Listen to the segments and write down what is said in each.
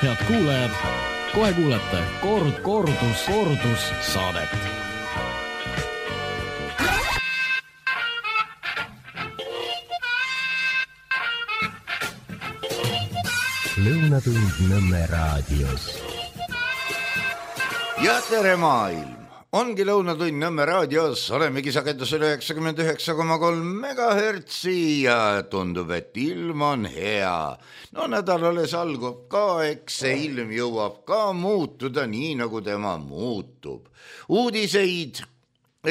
Head kuulajad, kohe kuulete kordus saadet. Lõunatund Nõmme raadios. Ja tere maailm! Ongi Lõunatund Nõmme raadios, olemegi sagedusel 99,3 MHz ja tundub, et ilm on hea. No nädal alles algab ka, eks see ilm jõuab ka muutuda nii, nagu tema muutub. Uudiseid,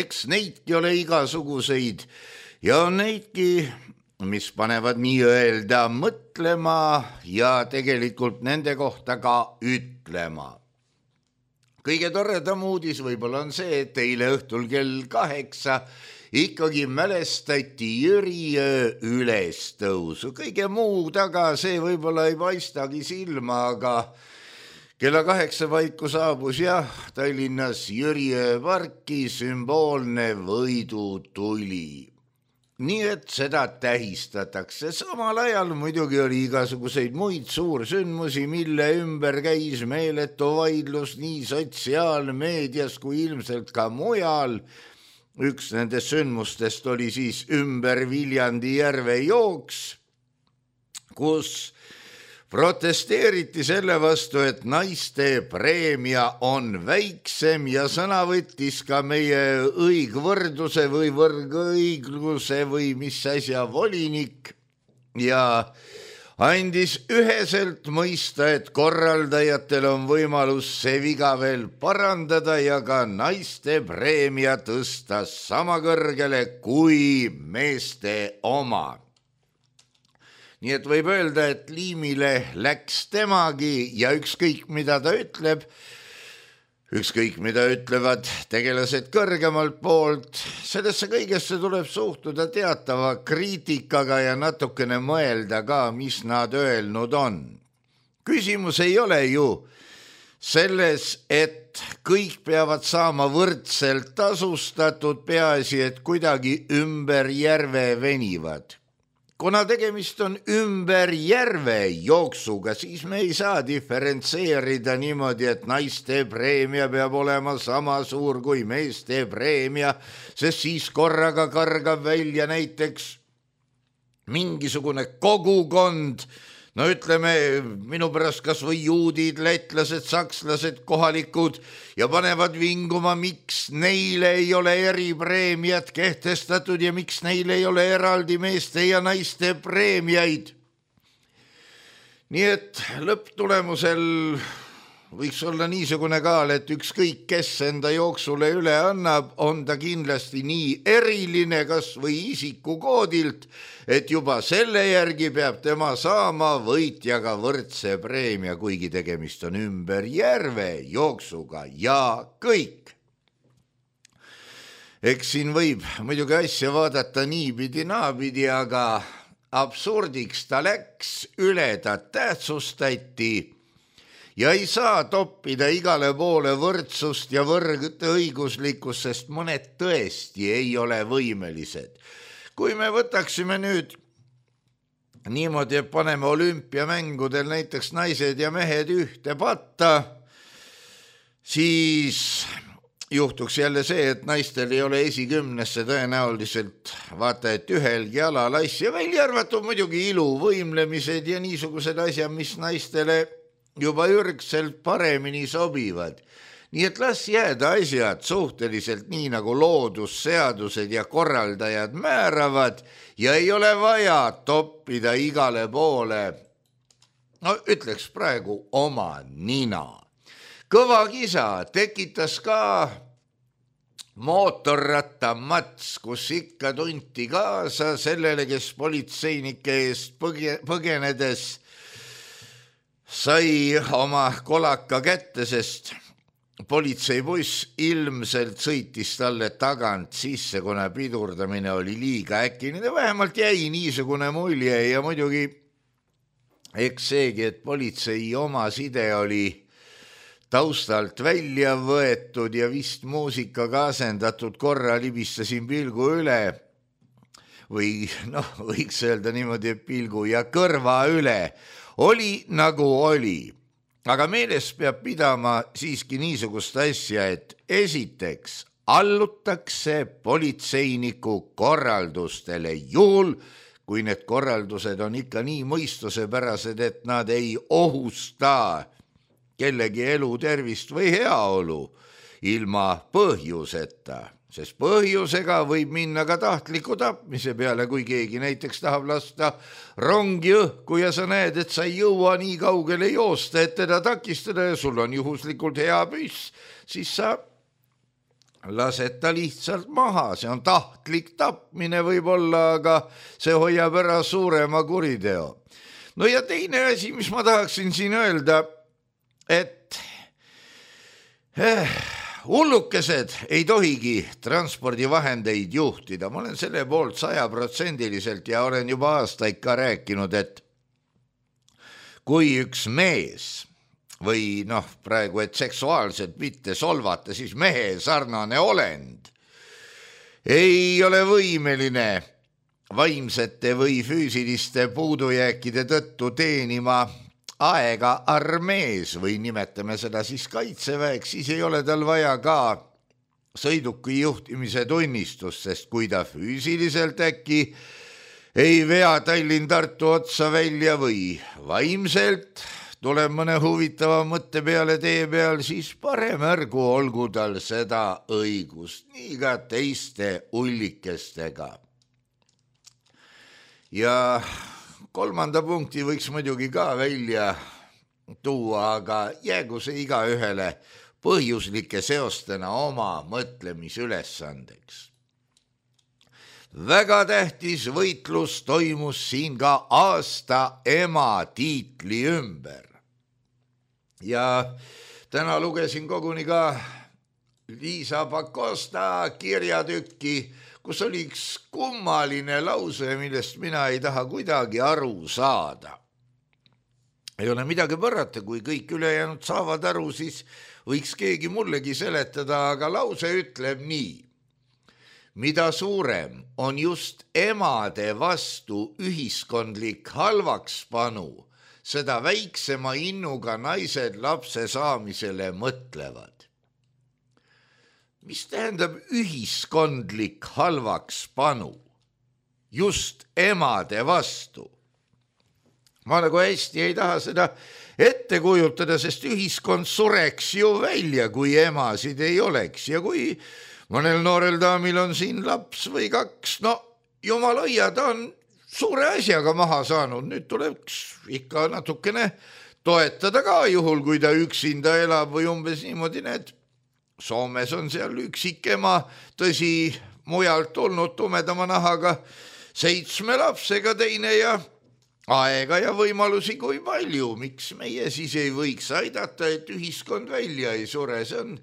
eks neidki ole igasuguseid ja on neidki, mis panevad nii-öelda mõtlema ja tegelikult nende kohta ka ütlema. Kõige toredam uudis võib-olla on see, et eile õhtul kell 8 ikkagi mälestati Jüriöö ülestõusu. Kõige muu taga see võib-olla ei paistagi silma, aga kella 8 paiku saabus Tallinnas Jüriöö parki sümboolne võidutuli. Nii et seda tähistatakse. Samal ajal muidugi oli igasuguseid muid suursündmusi, mille ümber käis meeletu vaidlus nii sotsiaalmeedias kui ilmselt ka mujal. Üks nendest sündmustest oli siis ümber Viljandi järve jooks, kus protesteeriti selle vastu, et naiste preemia on väiksem ja sõna võttis ka meie õigvõrduse või võrgõigluse või mis asja volinik ja andis üheselt mõista, et korraldajatel on võimalus see viga veel parandada ja ka naiste preemia tõsta sama kõrgele kui meeste oma. Nii et võib öelda, et liimile läks temagi ja ükskõik mida ta ütleb, ükskõik mida ütlevad tegelased kõrgemalt poolt, sellesse kõigesse tuleb suhtuda teatava kriitikaga ja natukene mõelda ka, mis nad öelnud on. Küsimus ei ole ju selles, et kõik peavad saama võrdselt tasustatud, peaasi, et kuidagi ümber järve venivad. Kuna tegemist on ümber järve jooksuga, siis me ei saa diferentseerida niimoodi, et naiste preemia peab olema sama suur kui meeste preemia, sest siis korraga kargab välja näiteks mingisugune kogukond, no ütleme minu pärast kas või juudid, lätlased, sakslased, kohalikud ja panevad vinguma, miks neile ei ole eripreemiat kehtestatud ja miks neile ei ole eraldi meeste ja naiste preemiaid. Nii et lõpptulemusel võiks olla niisugune kaal, et ükskõik kes enda jooksule üle annab, on ta kindlasti nii eriline kas või isikukoodilt, et juba selle järgi peab tema saama võitjaga võrdse preemia, kuigi tegemist on ümber järve jooksuga ja kõik. Eks siin võib muidugi asja vaadata niipidi naapidi, aga absurdiks ta läks, üle ta tähtsustati ja ei saa toppida igale poole võrdsust ja võrdõiguslikkust, sest mõned tõesti ei ole võimelised. Kui me võtaksime nüüd niimoodi, et paneme olümpiamängudel näiteks naised ja mehed ühte patta, siis juhtuks jälle see, et naistel ei ole esikümnesse tõenäoliselt vaata, et ühelgi alal asja, välja arvatud muidugi ilu, võimlemised ja niisugused asjad, mis naistele juba ürgselt paremini sobivad. Nii et las jääda asjad suhteliselt nii, nagu loodusseadused ja korraldajad määravad ja ei ole vaja toppida igale poole, no ütleks praegu oma nina. Kõva kisa tekitas ka mootorrattamats, kus ikka tunti kaasa sellele, kes politseinike eest põgenedes sai oma kolaka kätte, sest politseibuss ilmselt sõitis talle tagant sisse, kuna pidurdamine oli liiga äkiline. Vähemalt jäi niisugune mulje ja muidugi eks seegi, et politsei oma side oli taustalt välja võetud ja vist muusikaga asendatud, korra libistasin pilgu üle või võiks öelda niimoodi, et pilgu ja kõrva üle. Oli nagu oli. aga meeles peab pidama siiski niisugust asja, et esiteks allutakse politseiniku korraldustele juhul, kui need korraldused on ikka nii mõistusepärased, et nad ei ohusta kellegi elu, tervist või heaolu ilma põhjuseta, sest põhjusega võib minna ka tahtliku tapmise peale, kui keegi näiteks tahab lasta rongi õhku ja sa näed, et sa ei jõua nii kaugele joosta, et teda takistada ja sul on juhuslikult hea püss, siis sa lased ta lihtsalt maha, see on tahtlik tapmine võib-olla, aga see hoiab ära suurema kuriteo. No ja teine asi, mis ma tahaksin siin öelda, et hullukesed ei tohigi transpordivahendeid juhtida. Ma olen selle poolt 100% ja olen juba aastaid ka rääkinud, et kui üks mees või praegu, et seksuaalselt mitte solvata, siis mehe sarnane olend ei ole võimeline vaimsete või füüsiliste puudujääkide tõttu teenima aega armees või nimetame seda siis kaitseväeks, siis ei ole tal vaja ka sõiduki juhtimise tunnistust, sest kui ta füüsiliselt äkki ei vea Tallinn-Tartu otsa välja või vaimselt tuleb mõne huvitava mõtte peale tee peal, siis parem ärgu olgu tal seda õigust, nii ka teiste ullikestega. Ja kolmanda punkti võiks muidugi ka välja tuua, aga jäägu see igaühele põhjuslike seostena oma mõtlemisülesandeks. Väga tähtis võitlus toimus siin ka aasta ema tiitli ümber. Ja täna lugesin koguni ka Liisa Pakosta kirjatükki, kus oli üks kummaline lause, millest mina ei taha kuidagi aru saada. Ei ole midagi parata, kui kõik ülejäänud saavad aru, siis võiks keegi mullegi seletada, aga lause ütleb nii. Mida suurem on just emade vastu ühiskondlik halvakspanu, seda väiksema innuga naised lapse saamisele mõtlevad. Mis tähendab ühiskondlik halvakspanu? Just emade vastu. Ma nagu hästi ei taha seda ette kujutada, sest ühiskond sureks ju välja, kui emasid ei oleks. Ja kui mõnel noorel daamil on siin laps või kaks, jumal hoia, ta on suure asjaga maha saanud. Nüüd tuleks ikka natukene toetada ka juhul, kui ta üksinda elab või umbes niimoodi need. Soomes on seal üksik ema, tõsi, mujalt tulnud tumedama nahaga 7 lapsega teine ja aega ja võimalusi kui palju. Miks meie siis ei võiks aidata, et ühiskond välja ei sure? See on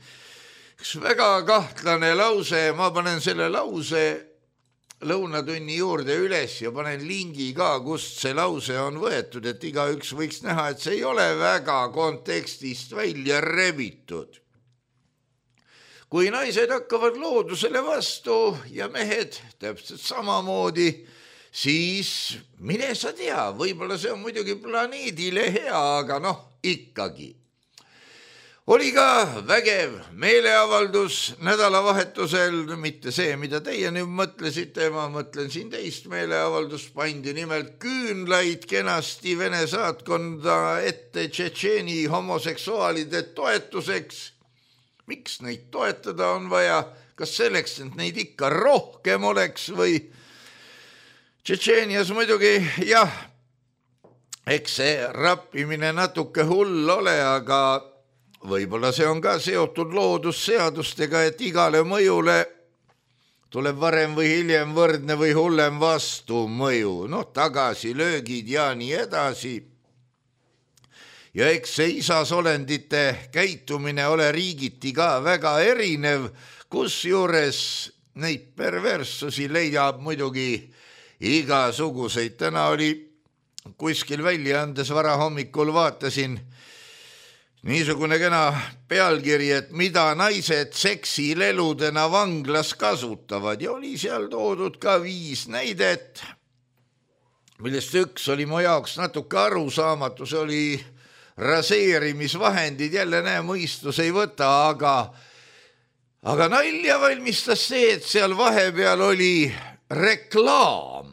üks väga kahtlane lause. Ma panen selle lause lõunatunni juurde üles ja panen lingi ka, kust see lause on võetud, et igaüks võiks näha, et see ei ole väga kontekstist välja rebitud. Kui naised hakkavad loodusele vastu ja mehed täpselt samamoodi, siis mine sa tea, võib-olla see on muidugi planeedile hea, aga ikkagi. Oli ka vägev meeleavaldus nädalavahetusel, mitte see, mida teie nüüd mõtlesite, ma mõtlen siin teist meeleavaldust, pandi nimelt küünlaid kenasti Vene saatkonda ette Tšetšeeni homoseksuaalide toetuseks. Miks neid toetada on vaja? Kas selleks, et neid ikka rohkem oleks või? Tšetšeenias muidugi, jah, eks see rappimine natuke hull ole, aga võib-olla see on ka seotud loodusseadustega, et igale mõjule tuleb varem või hiljem võrdne või hullem vastumõju. Tagasilöögid ja nii edasi. Ja eks see isasolendite käitumine ole riigiti ka väga erinev, kus juures neid perverssusi leiab muidugi igasuguseid. Täna oli kuskil väljaandes varahommikul vaatasin niisugune kena pealkiri, et mida naised seksileludena vanglas kasutavad ja oli seal toodud ka 5 näidet, millest üks oli mu jaoks natuke arusaamatu, see oli raseerimisvahendid jälle mõistus ei võta, aga nalja valmistas see, et seal vahepeal oli reklaam.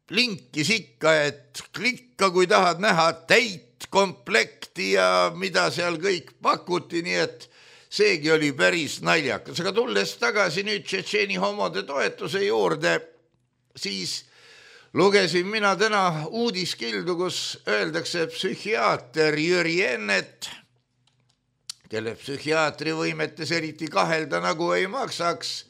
Blinkis ikka, et klikka, kui tahad näha täit komplekti ja mida seal kõik pakuti, nii et seegi oli päris naljakas. Aga tulles tagasi nüüd tšetšeeni homode toetuse juurde, siis lugesin mina täna uudiskildu, kus öeldakse psühhiaater Jüri Ennet, kelle psühhiaatri võimetes eriti kahelda nagu ei maksaks,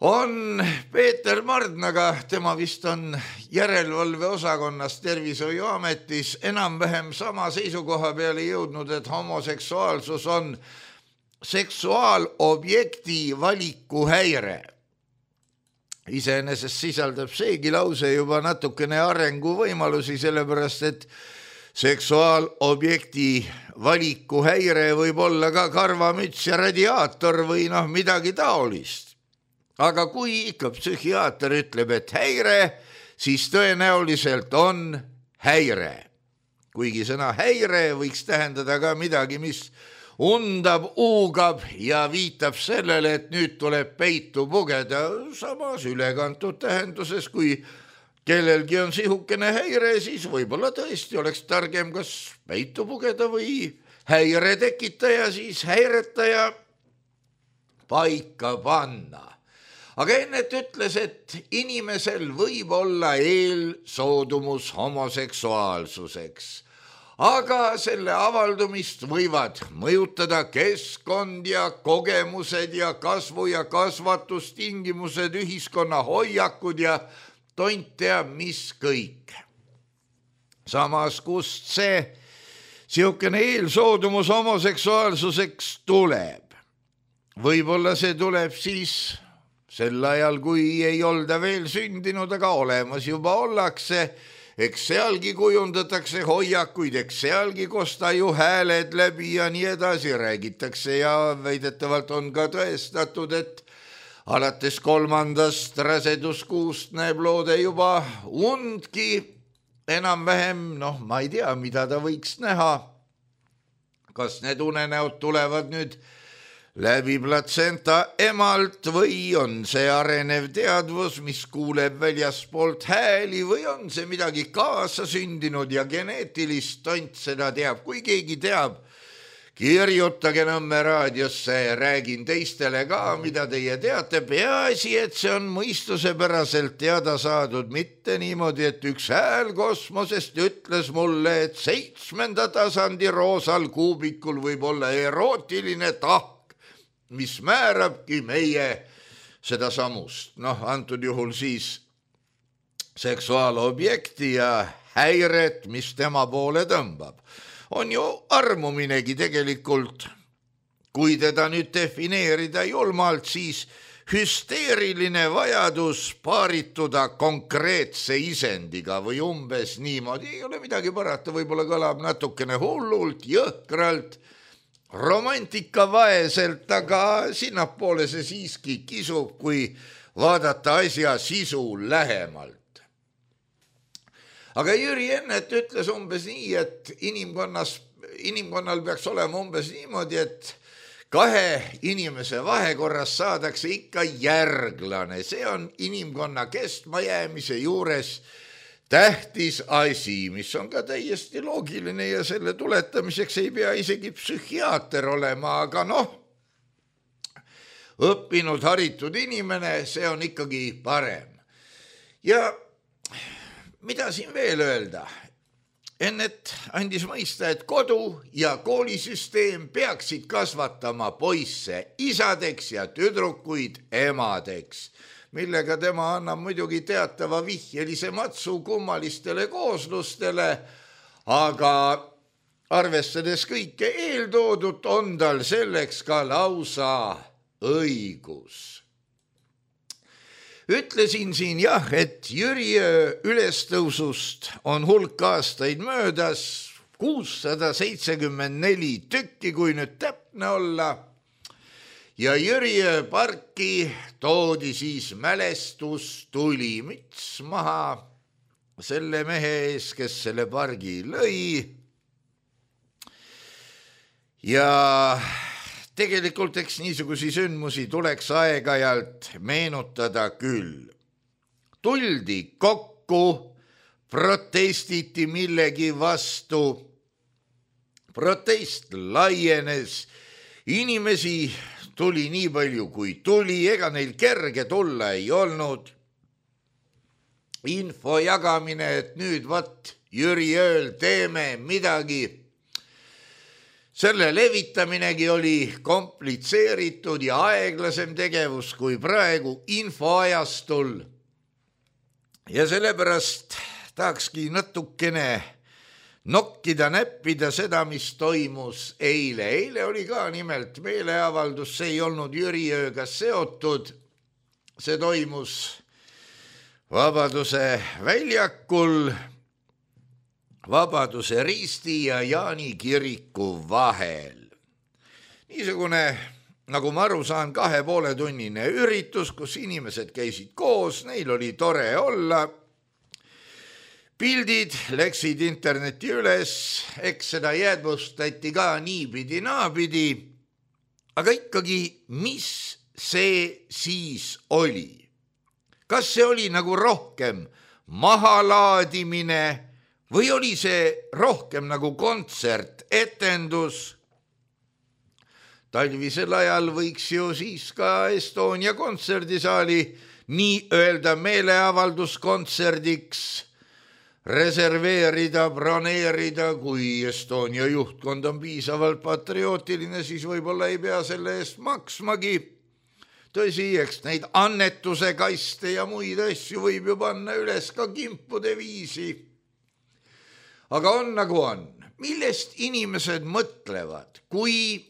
on Peeter Mardnaga, tema vist on järelevalveosakonnas Tervishoiuametis, enam-vähem sama seisukoha peale jõudnud, et homoseksuaalsus on seksuaalobjekti valikuhäire. Iseenesest sisaldab seegi lause juba natukene arenguvõimalusi, sellepärast et seksuaalobjekti valikuhäire võib olla ka karvamüts ja radiaator või midagi taolist. Aga kui ikka psühhiaater ütleb, et häire, siis tõenäoliselt on häire. Kuigi sõna häire võiks tähendada ka midagi, mis undab, uugab ja viitab sellele, et nüüd tuleb peitu pugeda, samas ülekantud tähenduses, kui kellelgi on sihukene häire, siis võib-olla tõesti oleks targem kas peitu pugeda või häire tekitaja, siis häiretaja paika panna. Aga Ennet ütles, et inimesel võib olla eelsoodumus homoseksuaalsuseks, aga selle avaldumist võivad mõjutada keskkond ja kogemused ja kasvu- ja kasvatustingimused, ühiskonna hoiakud ja tont teab mis kõik. Samas, kust see sihukene eelsoodumus homoseksuaalsuseks tuleb? Võib-olla see tuleb siis sel ajal, kui ei olda veel sündinud, aga olemas juba ollakse, eks sealgi kujundatakse hoiakuid, eks sealgi kosta ju hääled läbi ja nii edasi räägitakse ja väidetavalt on ka tõestatud, et alates 3. raseduskuust näeb loode juba undki enam-vähem, ma ei tea, mida ta võiks näha. Kas need unenäod tulevad nüüd läbi platsenta emalt või on see arenev teadvus, mis kuuleb väljaspoolt hääli või on see midagi kaasasündinud ja geneetilist, tont seda teab. Kui keegi teab, kirjutage Nõmme raadiosse, räägin teistele ka, mida teie teate. Peaasi, et see on mõistusepäraselt teada saadud, mitte niimoodi, et üks hääl kosmosest ütles mulle, et 7. tasandi roosal kuubikul võib olla erootiline tahk, mis määrabki meie seda samust. Antud juhul siis seksuaalobjekti ja häiret, mis tema poole tõmbab. On ju armuminegi tegelikult, kui teda nüüd defineerida julmalt, siis hüsteeriline vajadus paarituda konkreetse isendiga või umbes niimoodi. Ei ole midagi parata, võib-olla kõlab natukene hullult, jõhkralt, romantikavaeselt, aga sinnapoole see siiski kisub, kui vaadata asja sisu lähemalt. Aga Jüri Ennet ütles umbes nii, et inimkonnal peaks olema umbes niimoodi, et 2 inimese vahekorras saadakse ikka järglane. See on inimkonna kestmajäämise juures tähtis asi, mis on ka täiesti loogiline ja selle tuletamiseks ei pea isegi psühhiaater olema, aga õppinud, haritud inimene, see on ikkagi parem. Ja mida siin veel öelda? Ennet andis mõista, et kodu ja koolisüsteem peaksid kasvatama poisse isadeks ja tüdrukuid emadeks, millega tema annab muidugi teatava vihjelise matsu kummalistele kooslustele, aga arvestades kõike eeltoodut, on tal selleks ka lausa õigus. Ütlesin siin jah, et Jüri ülestõusust on hulk aastaid möödas, 674 tükki, kui nüüd täpne olla. Ja Jüri parki toodi siis mälestus tulimüts maha selle mehe ees, kes selle pargi lõi. ja tegelikult eks niisugusi sündmusi tuleks aeg-ajalt meenutada küll. Tuldi kokku, protestiti millegi vastu, protest laienes, inimesi tuli nii palju kui tuli, ega neil kerge tulla ei olnud. Info jagamine, et nüüd Jüri ööl teeme midagi. Selle levitaminegi oli komplitseeritud ja aeglasem tegevus kui praegu infoajastul. Ja sellepärast tahakski natukene nokkida, näppida seda, mis toimus eile. Eile oli ka nimelt meeleavaldus, see ei olnud Jüri ööga seotud. See toimus Vabaduse väljakul, Vabaduse risti ja Jaani kiriku vahel. Niisugune, nagu ma aru saan, 2,5-tunnine üritus, kus inimesed käisid koos, neil oli tore olla. Pildid läksid interneti üles, eks seda jäädvustati ka niipidi naapidi, aga ikkagi, mis see siis oli? Kas see oli nagu rohkem mahalaadimine või oli see rohkem nagu kontsert, etendus? Talvisel ajal võiks ju siis ka Estonia kontserdisaali nii öelda meeleavalduskontserdiks reserveerida, broneerida, kui Estonia juhtkond on piisavalt patriootiline, siis võib-olla ei pea selle eest maksmagi. Tõsi, eks neid annetuse kaste ja muid asju võib ju panna üles ka kimpude viisi. Aga on nagu on. Millest inimesed mõtlevad, kui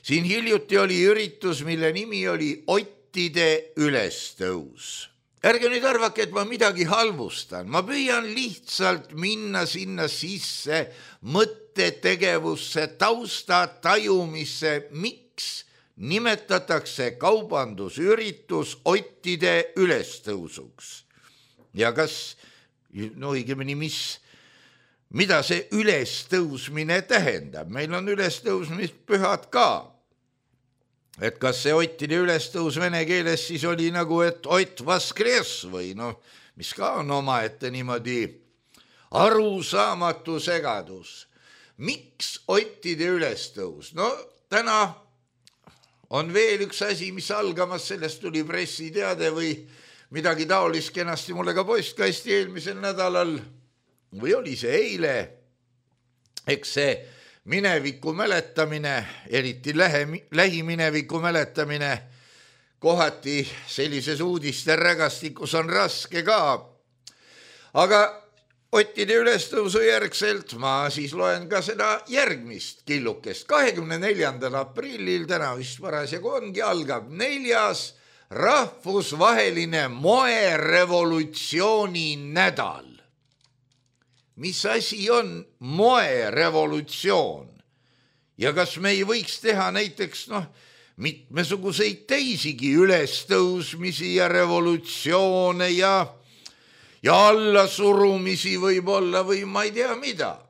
siin hiljuti oli üritus, mille nimi oli Ottide ülestõus. Ärge nüüd arvake, et ma midagi halvustan. Ma püüan lihtsalt minna sinna sisse mõttetegevusse, tausta tajumisse, miks nimetatakse kaubandusüritus Ottide ülestõusuks. Ja kas, õigemini, mida see ülestõusmine tähendab? Meil on ülestõusmispühad ka. Et kas see Ottide ülestõus vene keeles siis oli nagu, et Ott Vaskres või mis ka on omaette niimoodi arusaamatu segadus. Miks Ottide ülestõus? Täna on veel üks asi, mis algamas, sellest tuli pressiteade või midagi taolist kenasti mulle ka postkasti eelmisel nädalal või oli see eile. Eks see mineviku mäletamine, eriti lähimineviku mäletamine, kohati sellises uudiste rägastikus on raske ka. Aga Ottide ülestõusu järgselt ma siis loen ka seda järgmist killukest. 24. aprillil, täna vist parasjagu ongi, algab 4. rahvusvaheline moerevolutsiooni nädal. Mis asi on moerevolutsioon? Ja kas me ei võiks teha näiteks mitmesuguseid teisigi ülestõusmisi ja revolutsioone ja allasurumisi võib-olla või ma ei tea mida.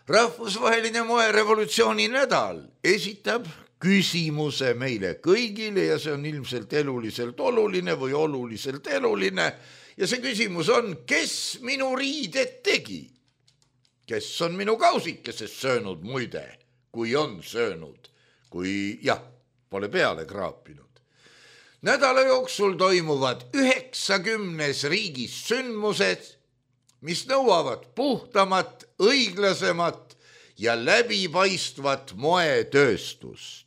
Rahvusvaheline moerevolutsiooni nädal esitab küsimuse meile kõigile ja see on ilmselt eluliselt oluline või oluliselt eluline. Ja see küsimus on, kes minu riided tegi? Kes on minu kausikesest söönud muide, kui on söönud, kui pole peale kraapinud. Nädala jooksul toimuvad 90 riigis sündmused, mis nõuavad puhtamat, õiglasemat ja läbipaistvat moetööstust.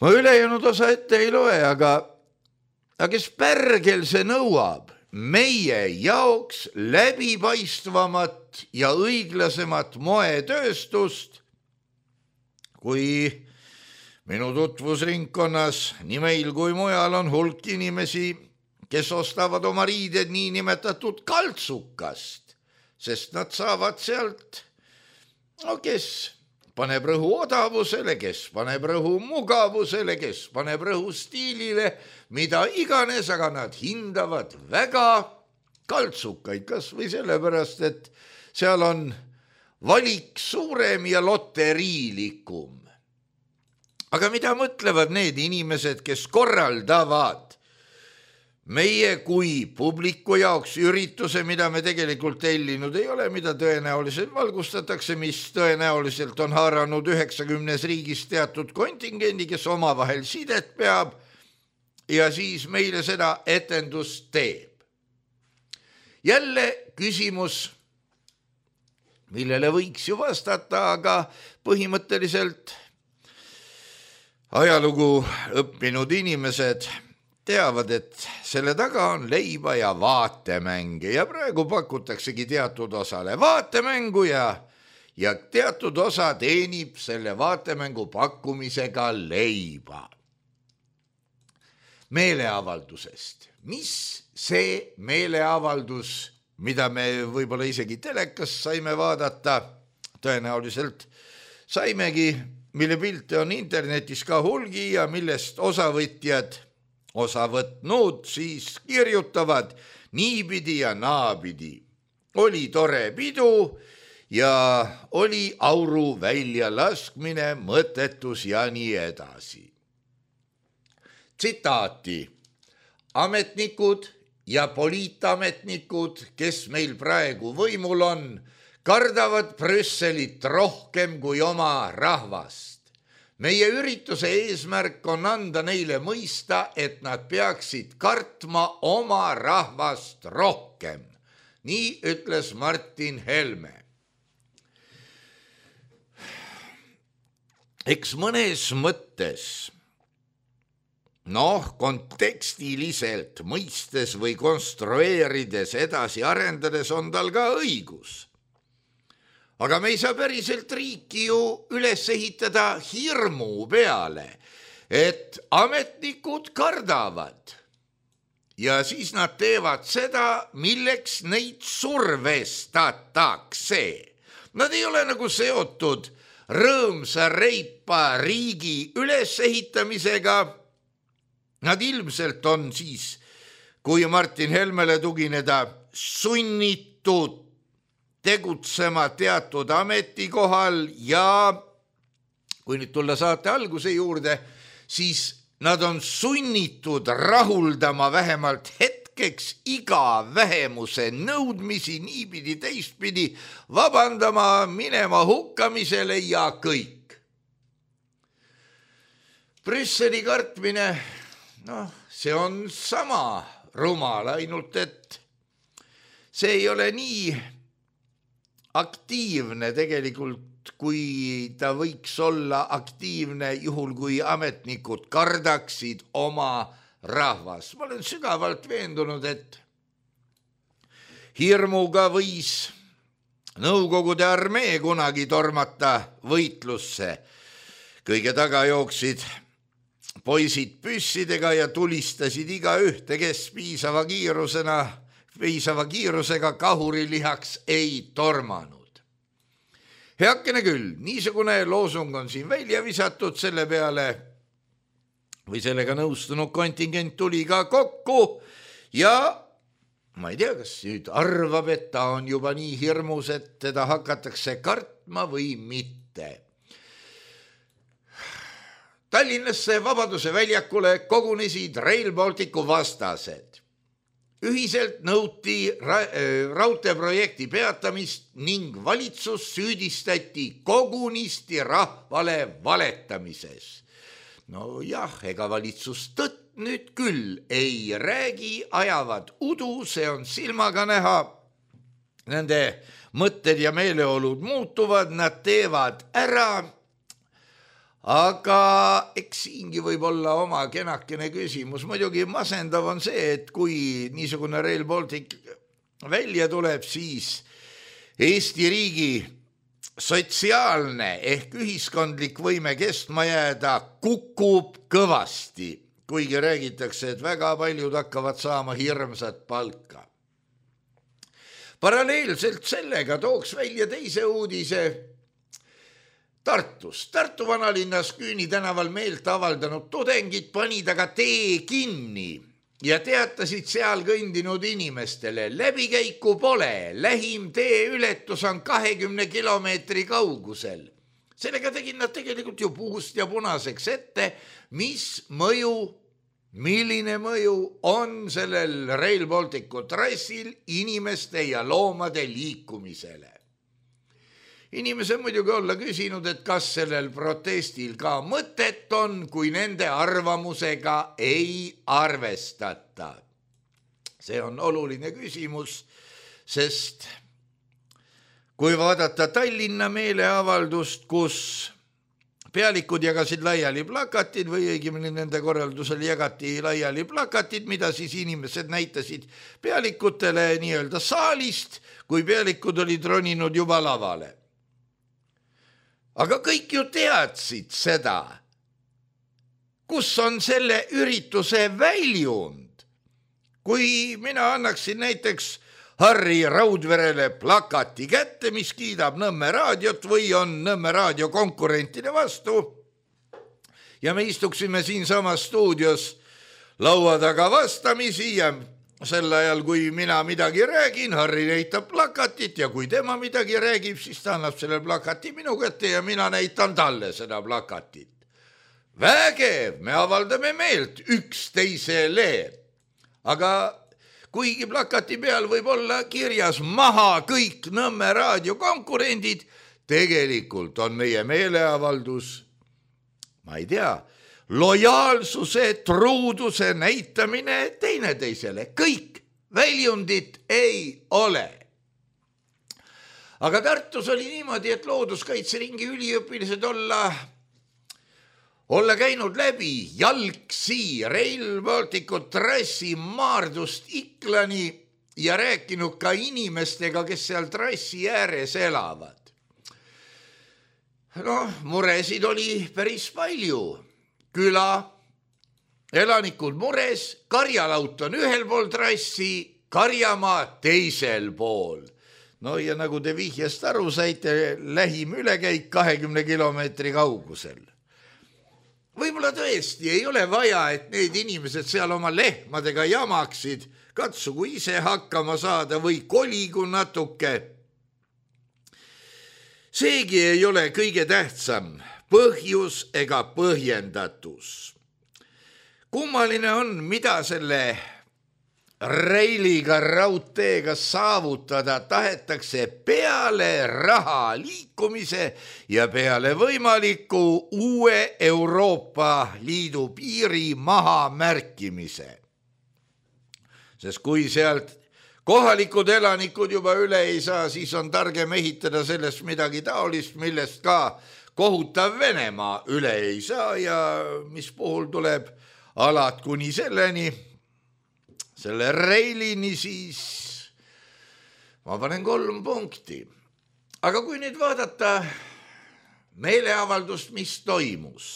Ma ülejäänud osa ette ei loe, aga kes pärgel see nõuab meie jaoks läbipaistvamat ja õiglasemat moetööstust, kui minu tutvusringkonnas nii meil kui mujal on hulk inimesi, kes ostavad oma riided niinimetatud kaltsukast, sest nad saavad sealt, kes paneb rõhu odavusele, kes paneb rõhu mugavusele, kes paneb rõhu stiilile, mida iganes, aga nad hindavad väga kaltsukaid, kas või sellepärast, et seal on valik suurem ja loteriilikum. Aga mida mõtlevad need inimesed, kes korraldavad meie kui publiku jaoks ürituse, mida me tegelikult tellinud ei ole, mida tõenäoliselt valgustatakse, mis tõenäoliselt on haaranud 90 riigis teatud kontingendi, kes omavahel sidet peab ja siis meile seda etendust teeb. Jälle küsimus, millele võiks ju vastata, aga põhimõtteliselt ajalugu õppinud inimesed teavad, et selle taga on leiba ja vaatemänge ja praegu pakutaksegi teatud osale vaatemängu ja teatud osa teenib selle vaatemängu pakkumisega leiba. Meeleavaldusest. Mis see meeleavaldus, mida me võib-olla isegi telekas saime vaadata, tõenäoliselt saimegi, mille pilte on internetis ka hulgi ja millest osavõtjad osa võtnud, siis kirjutavad niipidi ja naapidi. Oli tore pidu ja oli auru väljalaskmine, mõttetus ja nii edasi. Tsitaati. Ametnikud ja poliitametnikud, kes meil praegu võimul on, kardavad Brüsselit rohkem kui oma rahvast. Meie ürituse eesmärk on anda neile mõista, et nad peaksid kartma oma rahvast rohkem. Nii ütles Martin Helme. Eks mõnes mõttes, kontekstiliselt mõistes või konstrueerides edasi arendades on tal ka õigus. Aga me ei saa päriselt riiki ju üles ehitada hirmu peale, et ametnikud kardavad ja siis nad teevad seda, milleks neid survestatakse. Nad ei ole nagu seotud rõõmsa reipa riigi ülesehitamisega. Nad ilmselt on siis, kui Martin Helmele tugineda, sunnitud tegutsema teatud ametikohal ja kui nüüd tulla saate alguse juurde, siis nad on sunnitud rahuldama vähemalt hetkeks iga vähemuse nõudmisi niipidi teistpidi, vabandama, minema hukkamisele ja kõik. Brüsseli kartmine, see on sama rumal, ainult et see ei ole nii aktiivne tegelikult, kui ta võiks olla aktiivne juhul, kui ametnikud kardaksid oma rahvas. Ma olen sügavalt veendunud, et hirmuga võis Nõukogude armee kunagi tormata võitlusse. Kõige taga jooksid poisid püssidega ja tulistasid iga ühte, kes piisava kiirusega kahurilihaks ei tormanud. Heakene küll, niisugune loosung on siin välja visatud, selle peale või sellega nõustunud kontingent tuli ka kokku ja ma ei tea, kas nüüd arvab, et ta on juba nii hirmus, et teda hakatakse kartma või mitte. Tallinnasse Vabaduse väljakule kogunesid Rail Balticu vastased. Ühiselt nõuti raudteeprojekti peatamist ning valitsus süüdistati kogunisti rahvale valetamises. Ega valitsus tõtt nüüd küll ei räägi, ajavad udu, see on silmaga näha. Nende mõtted ja meeleolud muutuvad, nad teevad ära. Aga eks siingi võib olla oma kenakene küsimus. Muidugi masendav on see, et kui niisugune Rail Baltic välja tuleb, siis Eesti riigi sotsiaalne ehk ühiskondlik võime kestma jääda kukub kõvasti, kuigi räägitakse, et väga paljud hakkavad saama hirmsat palka. Paralleelselt sellega tooks välja teise uudise Tartus. Tartu vanalinnas Küüni tänaval meelt avaldanud tudengid panid aga tee kinni ja teatasid seal kõndinud inimestele, läbikäiku pole, lähim teeületus on 20 kilomeetri kaugusel. Sellega tegid nad tegelikult ju puust ja punaseks ette, milline mõju on sellel Rail Balticu trassil inimeste ja loomade liikumisele. Inimesed muidugi olla küsinud, et kas sellel protestil ka mõtet on, kui nende arvamusega ei arvestata. See on oluline küsimus, sest kui vaadata Tallinna meeleavaldust, kus pealikud jagasid laiali plakatid või õigemini nende korraldusel jagati laiali plakatid, mida siis inimesed näitasid pealikutele nii-öelda saalist, kui pealikud olid roninud juba lavale. Aga kõik ju teadsid seda, kus on selle ürituse väljund. Kui mina annaksin näiteks Harri Raudverele plakati kätte, mis kiidab Nõmme raadiot või on Nõmme raadio konkurentide vastu ja me istuksime siin samas stuudios laua taga vastamisi ja sel ajal, kui mina midagi räägin, Harri näitab plakatit ja kui tema midagi räägib, siis ta annab selle plakati minu kätte ja mina näitan talle seda plakatit. Vägev, me avaldame meelt üksteisele, aga kuigi plakati peal võib olla kirjas maha kõik Nõmme raadio konkurendid, tegelikult on meie meeleavaldus, ma ei tea, lojaalsuse, truuduse näitamine teineteisele. Kõik väljundit ei ole. Aga Tartus oli niimoodi, et looduskaitseringi üliõpilased olla käinud läbi jalgsi Rail Balticu trassi Maardust Iklani ja rääkinud ka inimestega, kes seal trassi ääres elavad. Muresid oli päris palju. Küla, elanikud mures, karjalaut on ühel pool trassi, karjamaa teisel pool. Ja nagu te vihjast aru saite, lähim ülekäik 20 kilomeetri kaugusel. Võib-olla tõesti ei ole vaja, et need inimesed seal oma lehmadega jamaksid, katsugu ise hakkama saada või koligu natuke. Seegi ei ole kõige tähtsam, põhjus ega põhjendatus. Kummaline on, mida selle Railiga raudteega saavutada tahetakse peale raha liikumise ja peale võimaliku uue Euroopa Liidu piiri maha märkimise. Sest kui sealt kohalikud elanikud juba üle ei saa, siis on targem ehitada sellest midagi taolist, millest ka kohutav Venemaa üle ei saa ja mis puhul tuleb alad kuni selle Railini, siis ma panen 3 punkti. Aga kui nüüd vaadata meeleavaldust, mis toimus,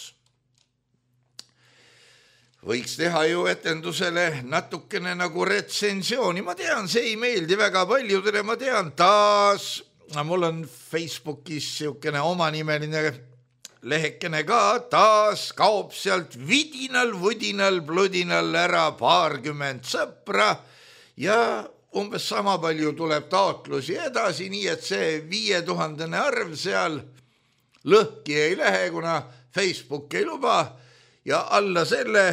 võiks teha ju etendusele natukene nagu retsensiooni. Ma tean, see ei meeldi väga paljudele, ma tean taas, mul on Facebookis siukene omanimeline lehekene ka, taas kaob sealt vidinal, vudinal, bludinal ära 20 sõpra ja umbes sama palju tuleb taotlusi edasi, nii et see 5000 arv seal lõhki ei lähe, kuna Facebook ei luba ja alla selle,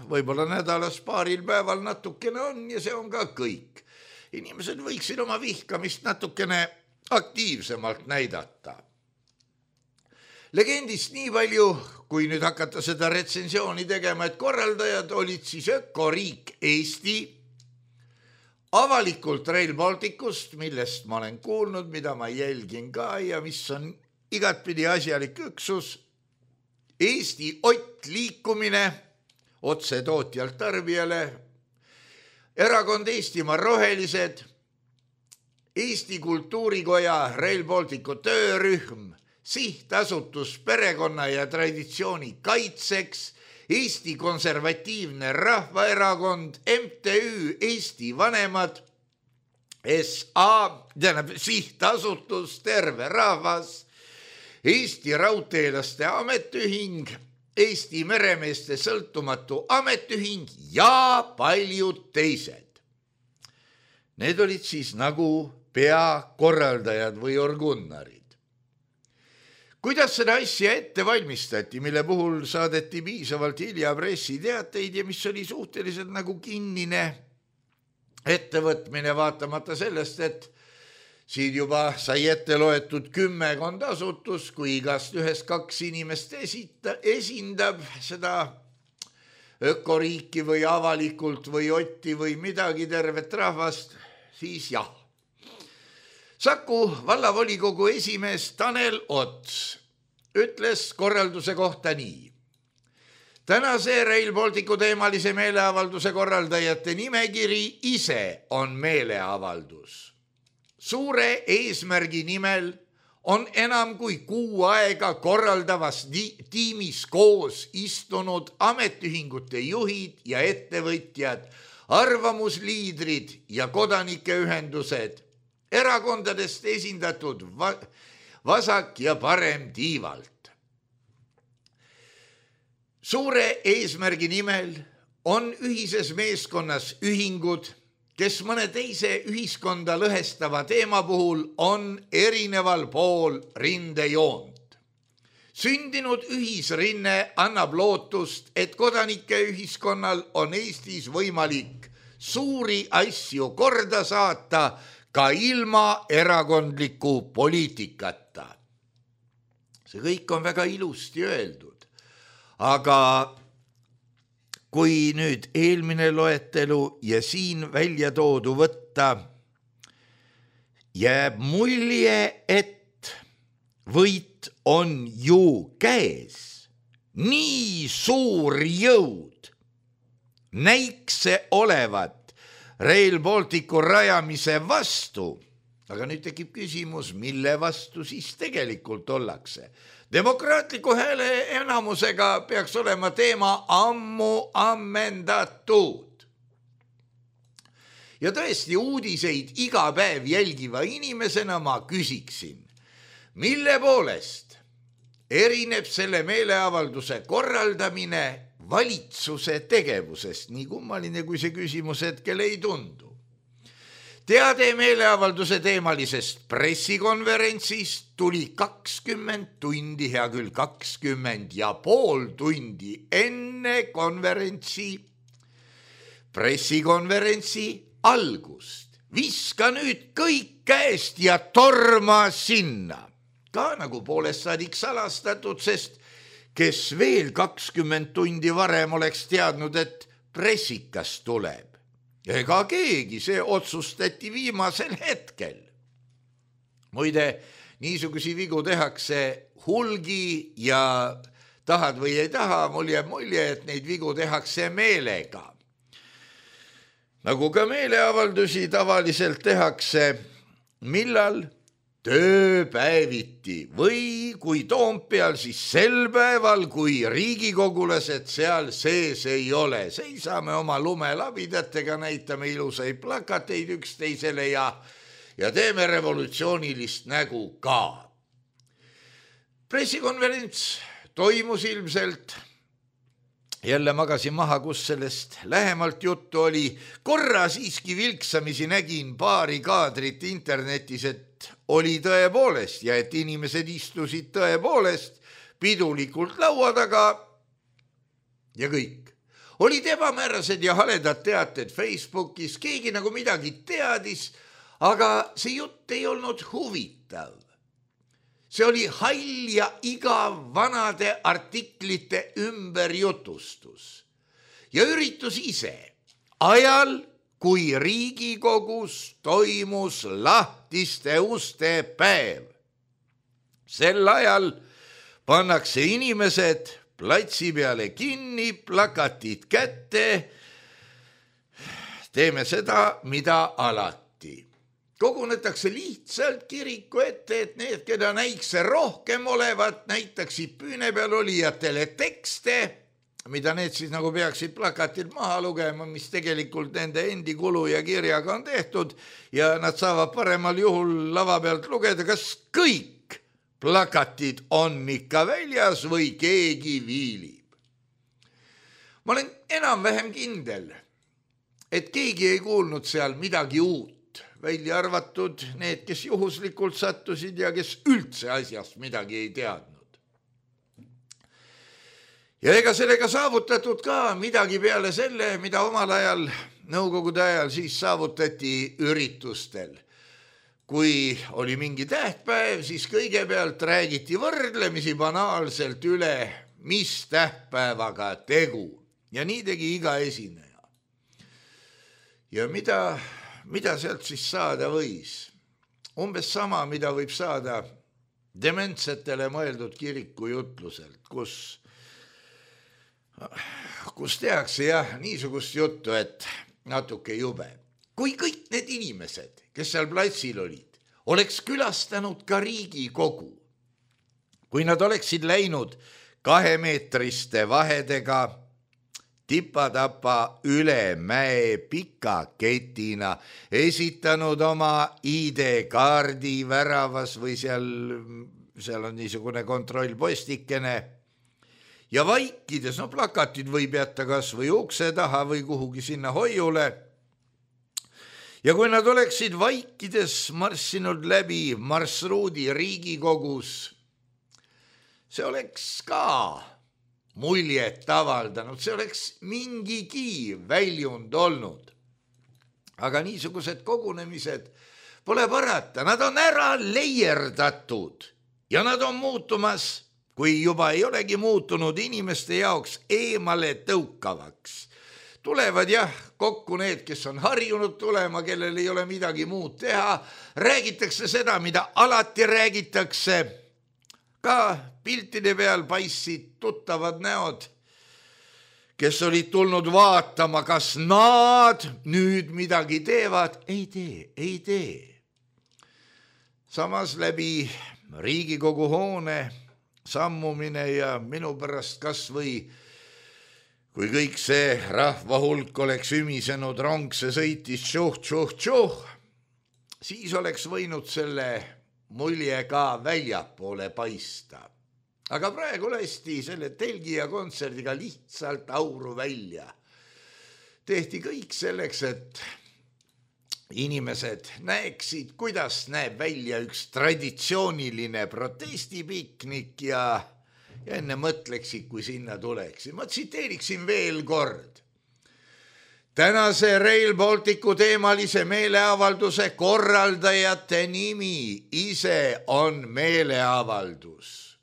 võib-olla nädalas paaril päeval natukene on ja see on ka kõik. Inimesed võiksid oma vihkamist natukene aktiivsemalt näidata. Legendist nii palju, kui nüüd hakata seda retsensiooni tegema, et korraldajad olid siis ökoriik Eesti, avalikult Rail Balticust, millest ma olen kuulnud, mida ma jälgin ka ja mis on igatpidi asjalik üksus, Eesti Ott liikumine otse tootjalt tarbijale, erakond Eestimaa Rohelised, Eesti Kultuurikoja Rail Balticu töörühm, Sihtasutus perekonna ja traditsiooni kaitseks, Eesti Konservatiivne Rahvaerakond, MTÜ Eesti Vanemad, Sihtasutus Terve Rahvas, Eesti Raudteelaste Ametiühing, Eesti Meremeeste Sõltumatu Ametiühing ja paljud teised. Need olid siis nagu peakorraldajad või orgunnarid. Kuidas seda asja ette valmistati, mille puhul saadeti piisavalt hilja pressiteateid ja mis oli suhteliselt nagu kinnine ettevõtmine, vaatamata sellest, et siin juba sai ette loetud 10 asutus, kui igast ühest 2 inimest esindab seda ökoriiki või avalikult või Otti või midagi tervet rahvast, siis jah. Saku vallavolikogu esimees Tanel Ots ütles korralduse kohta nii. Tänase Rail Balticu teemalise meeleavalduse korraldajate nimekiri ise on meeleavaldus. Suure eesmärgi nimel on enam kui 6 aega korraldavas tiimis koos istunud ametiühingute juhid ja ettevõtjad, arvamusliidrid ja kodanikeühendused, erakondadest esindatud vasak ja parem tiivalt. Suure eesmärgi nimel on ühises meeskonnas ühingud, kes mõne teise ühiskonda lõhestava teema puhul on erineval pool rindejoont. Sündinud ühisrinne annab lootust, et kodanike ühiskonnal on Eestis võimalik suuri asju korda saata ka ilma erakondliku poliitikata. See kõik on väga ilusti öeldud, aga kui nüüd eelmine loetelu ja siin välja toodu võtta, jääb mulje, et võit on ju käes. Nii suur jõud näikse olevat Rail Balticu rajamise vastu. Aga nüüd tekib küsimus, mille vastu siis tegelikult ollakse. Demokraatliku hääle enamusega peaks olema teema ammu ammendatud. Ja tõesti uudiseid iga päev jälgiva inimesena ma küsiksin, mille poolest erineb selle meeleavalduse korraldamine valitsuse tegevusest, nii kummaline kui see küsimus hetkel ei tundu. Teade meeleavalduse teemalisest pressikonverentsist tuli 20 tundi, hea küll 20,5 tundi enne pressikonverentsi algust. Viska nüüd kõik käest ja torma sinna. Ka nagu poolest saadik salastatud, sest kes veel 20 tundi varem oleks teadnud, et pressikas tuleb. Ega keegi, see otsustati viimasel hetkel. Muide, niisugusi vigu tehakse hulgi ja tahad või ei taha, mul jääb mulje, et neid vigu tehakse meelega. Nagu ka meeleavaldusi tavaliselt tehakse, millal? Tööpäeviti või kui Toompeal, siis sel päeval, kui riigikogulased seal sees ei ole. Seisame oma lumelabidatega, näitame ilusaid plakateid üksteisele ja teeme revolutsioonilist nägu ka. Pressikonverents toimus ilmselt. Jälle magasin maha, kus sellest lähemalt juttu oli. Korra siiski vilksamisi nägin paari kaadrit internetis, et oli tõepoolest ja et inimesed istusid tõepoolest pidulikult laua taga ja kõik. Olid ebamäärased ja haledad teated Facebookis, keegi nagu midagi teadis, aga see jutt ei olnud huvitav. See oli hall ja igav vanade artiklite ümberjutustus. Ja üritus ise ajal, kui Riigikogus toimus lahtiste uste päev. Sel ajal pannakse inimesed platsi peale kinni, plakatid kätte. Teeme seda, mida alati. Kogunetakse lihtsalt kiriku ette, et need, keda näikse rohkem olevat, näitaksid püüne peal olijatele tekste, mida need siis nagu peaksid plakatilt maha lugema, mis tegelikult nende endi kulu ja kirjaga on tehtud ja nad saavad paremal juhul lava pealt lugeda, kas kõik plakatid on ikka väljas või keegi viilib. ma olen enam-vähem kindel, et keegi ei kuulnud seal midagi uut, välja arvatud need, kes juhuslikult sattusid ja kes üldse asjast midagi ei teadnud. Ja ega sellega saavutatud ka midagi peale selle, mida omal ajal, nõukogude ajal siis saavutati üritustel. Kui oli mingi tähtpäev, siis kõigepealt räägiti võrdlemisi banaalselt üle, mis tähtpäevaga tegu. Ja nii tegi iga esineja. Ja mida sealt siis saada võis? Umbes sama, mida võib saada dementsetele mõeldud kirikujutluselt, kus tehakse niisugust juttu, et natuke jube. Kui kõik need inimesed, kes seal platsil olid, oleks külastanud ka Riigikogu, kui nad oleksid läinud 2-meetriste vahedega tipa-tapa üle mäe pika ketina, esitanud oma ID-kaardi väravas või seal on niisugune kontrollpostikene ja vaikides, plakatid võib jätta kas või ukse taha või kuhugi sinna hoiule. Ja kui nad oleksid vaikides marssinud läbi marsruudi Riigikogus, see oleks ka muljet avaldanud, see oleks mingigi väljund olnud. Aga niisugused kogunemised pole parata, nad on ära leierdatud ja nad on muutumas, kui juba ei olegi muutunud inimeste jaoks eemale tõukavaks. Tulevad kokku need, kes on harjunud tulema, kellel ei ole midagi muud teha. Räägitakse seda, mida alati räägitakse. Ka piltide peal paistsid tuttavad näod, kes olid tulnud vaatama, kas nad nüüd midagi teevad. Ei tee. Samas läbi Riigikogu hoone sammumine ja minu pärast kas või kui kõik see rahvahulk oleks ümisenud rong, see sõitis tšuh, siis oleks võinud selle mulje ka väljapoole paista. Aga praegu lasti selle telgi ja kontserdiga lihtsalt auru välja. Tehti kõik selleks, et inimesed näeksid, kuidas näeb välja üks traditsiooniline protestipiknik ja enne mõtleksid, kui sinna tuleksid. Ma tsiteeriksin veel kord. Tänase Rail Balticu teemalise meeleavalduse korraldajate nimi ise on meeleavaldus.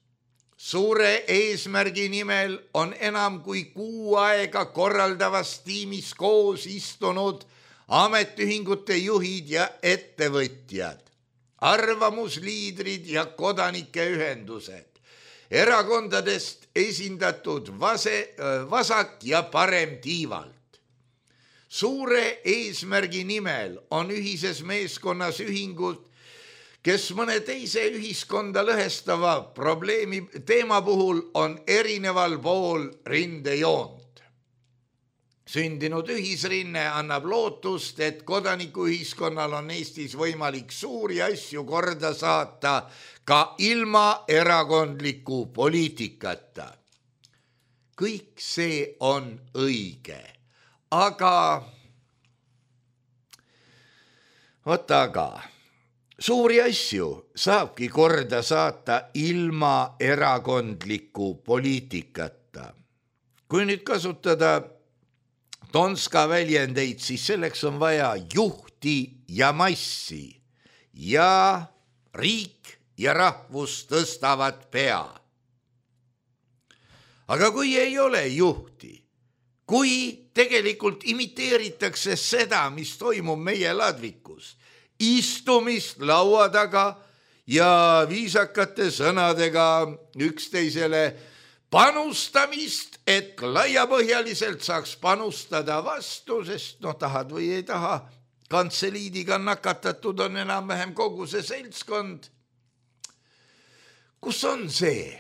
Suure eesmärgi nimel on enam kui 6 aega korraldavas tiimis koos istunud ametiühingute juhid ja ettevõtjad, arvamusliidrid ja kodanikeühendused, erakondadest esindatud vasak ja parem tiivalt. Suure eesmärgi nimel on ühises meeskonnas ühingud, kes mõne teise ühiskonda lõhestava probleemi teema puhul on erineval pool rindejoont. Sündinud ühisrinne annab lootust, et kodanikuühiskonnal on Eestis võimalik suuri asju korda saata ka ilma erakondliku poliitikata. Kõik see on õige, aga suuri asju saabki korda saata ilma erakondliku poliitikata. Kui nüüd kasutada Tonska väljendeid, siis selleks on vaja juhti ja massi ja riik ja rahvus tõstavad pea. Aga kui ei ole juhti, kui tegelikult imiteeritakse seda, mis toimub meie ladvikus, istumist laua taga ja viisakate sõnadega üksteisele panustamist, et laiapõhjaliselt saaks panustada vastu, sest tahad või ei taha, kantseliidiga nakatatud on enam-vähem kogu see seltskond. Kus on see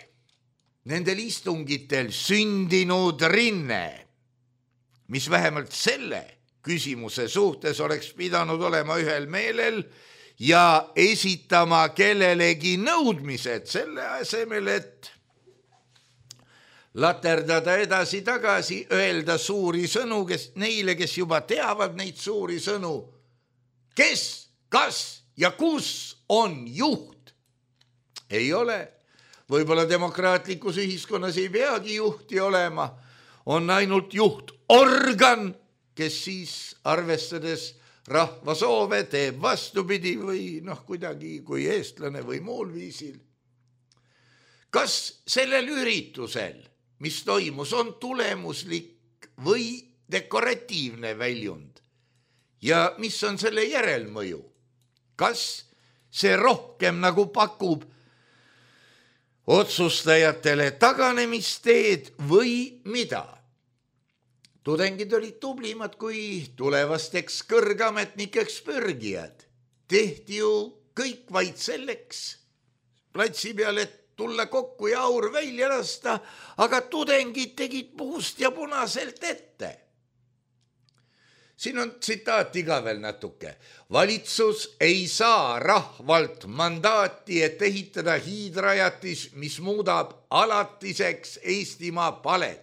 nendel istungitel sündinud rinne, mis vähemalt selle küsimuse suhtes oleks pidanud olema ühel meelel ja esitama kellelegi nõudmised selle asemel, et laterdada edasi-tagasi, öelda suuri sõnu, neile, kes juba teavad neid suuri sõnu. Kes, kas ja kus on juht? Ei ole. Võib-olla demokraatlikus ühiskonnas ei peagi juhti olema. On ainult juhtorgan, kes siis arvestades rahva soove teeb vastupidi või kuidagi kui eestlane või muul viisil. Kas sellel üritusel, mis toimus, on tulemuslik või dekoratiivne väljund ja mis on selle järelmõju? Kas see rohkem nagu pakub otsustajatele taganemisteed või mida? Tudengid olid tublimad kui tulevasteks kõrgametnikeks pürgijad. Tehti ju kõik vaid selleks platsi peal, et tulla kokku ja aur välja lasta, aga tudengid tegid puust ja punaselt ette. Siin on tsitaati ka veel natuke. Valitsus ei saa rahvalt mandaati, et ehitada hiidrajatis, mis muudab alatiseks Eestimaa palet.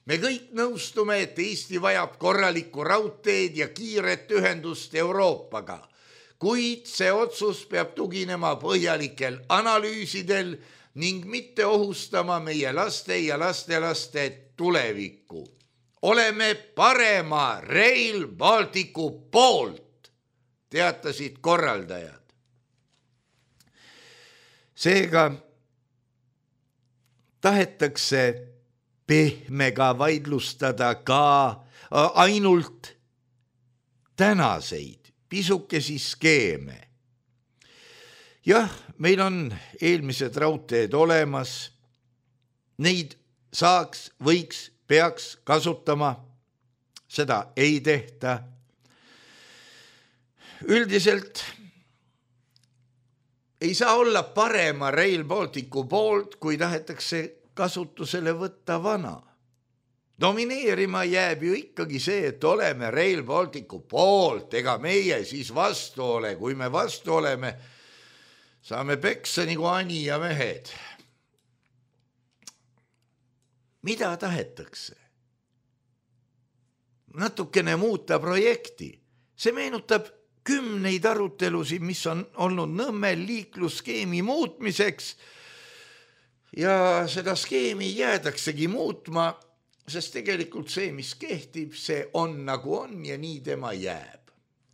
Me kõik nõustume, et Eesti vajab korralikku raudteed ja kiiret ühendust Euroopaga, kuid see otsus peab tuginema põhjalikel analüüsidel ning mitte ohustama meie laste ja lastelaste tulevikku. Oleme parema Rail Balticu poolt, teatasid korraldajad. Seega tahetakse pehmega vaidlustada ka ainult tänaseid pisukesi skeeme. Jah, meil on eelmised raudteed olemas, neid saaks, võiks, peaks kasutama, seda ei tehta. Üldiselt ei saa olla parema Rail Balticu poolt, kui tahetakse kasutusele võtta vana. Domineerima jääb ju ikkagi see, et oleme Rail Balticu poolt, ega meie siis vastu ole. Kui me vastu oleme, saame peksa nagu ani ja mehed. Mida tahetakse? Natukene muuta projekti. See meenutab 10 arutelusid, mis on olnud Nõmmel liiklusskeemi muutmiseks. Ja seda skeemi jäädaksegi muutma, sest tegelikult see, mis kehtib, see on nagu on ja nii tema jääb.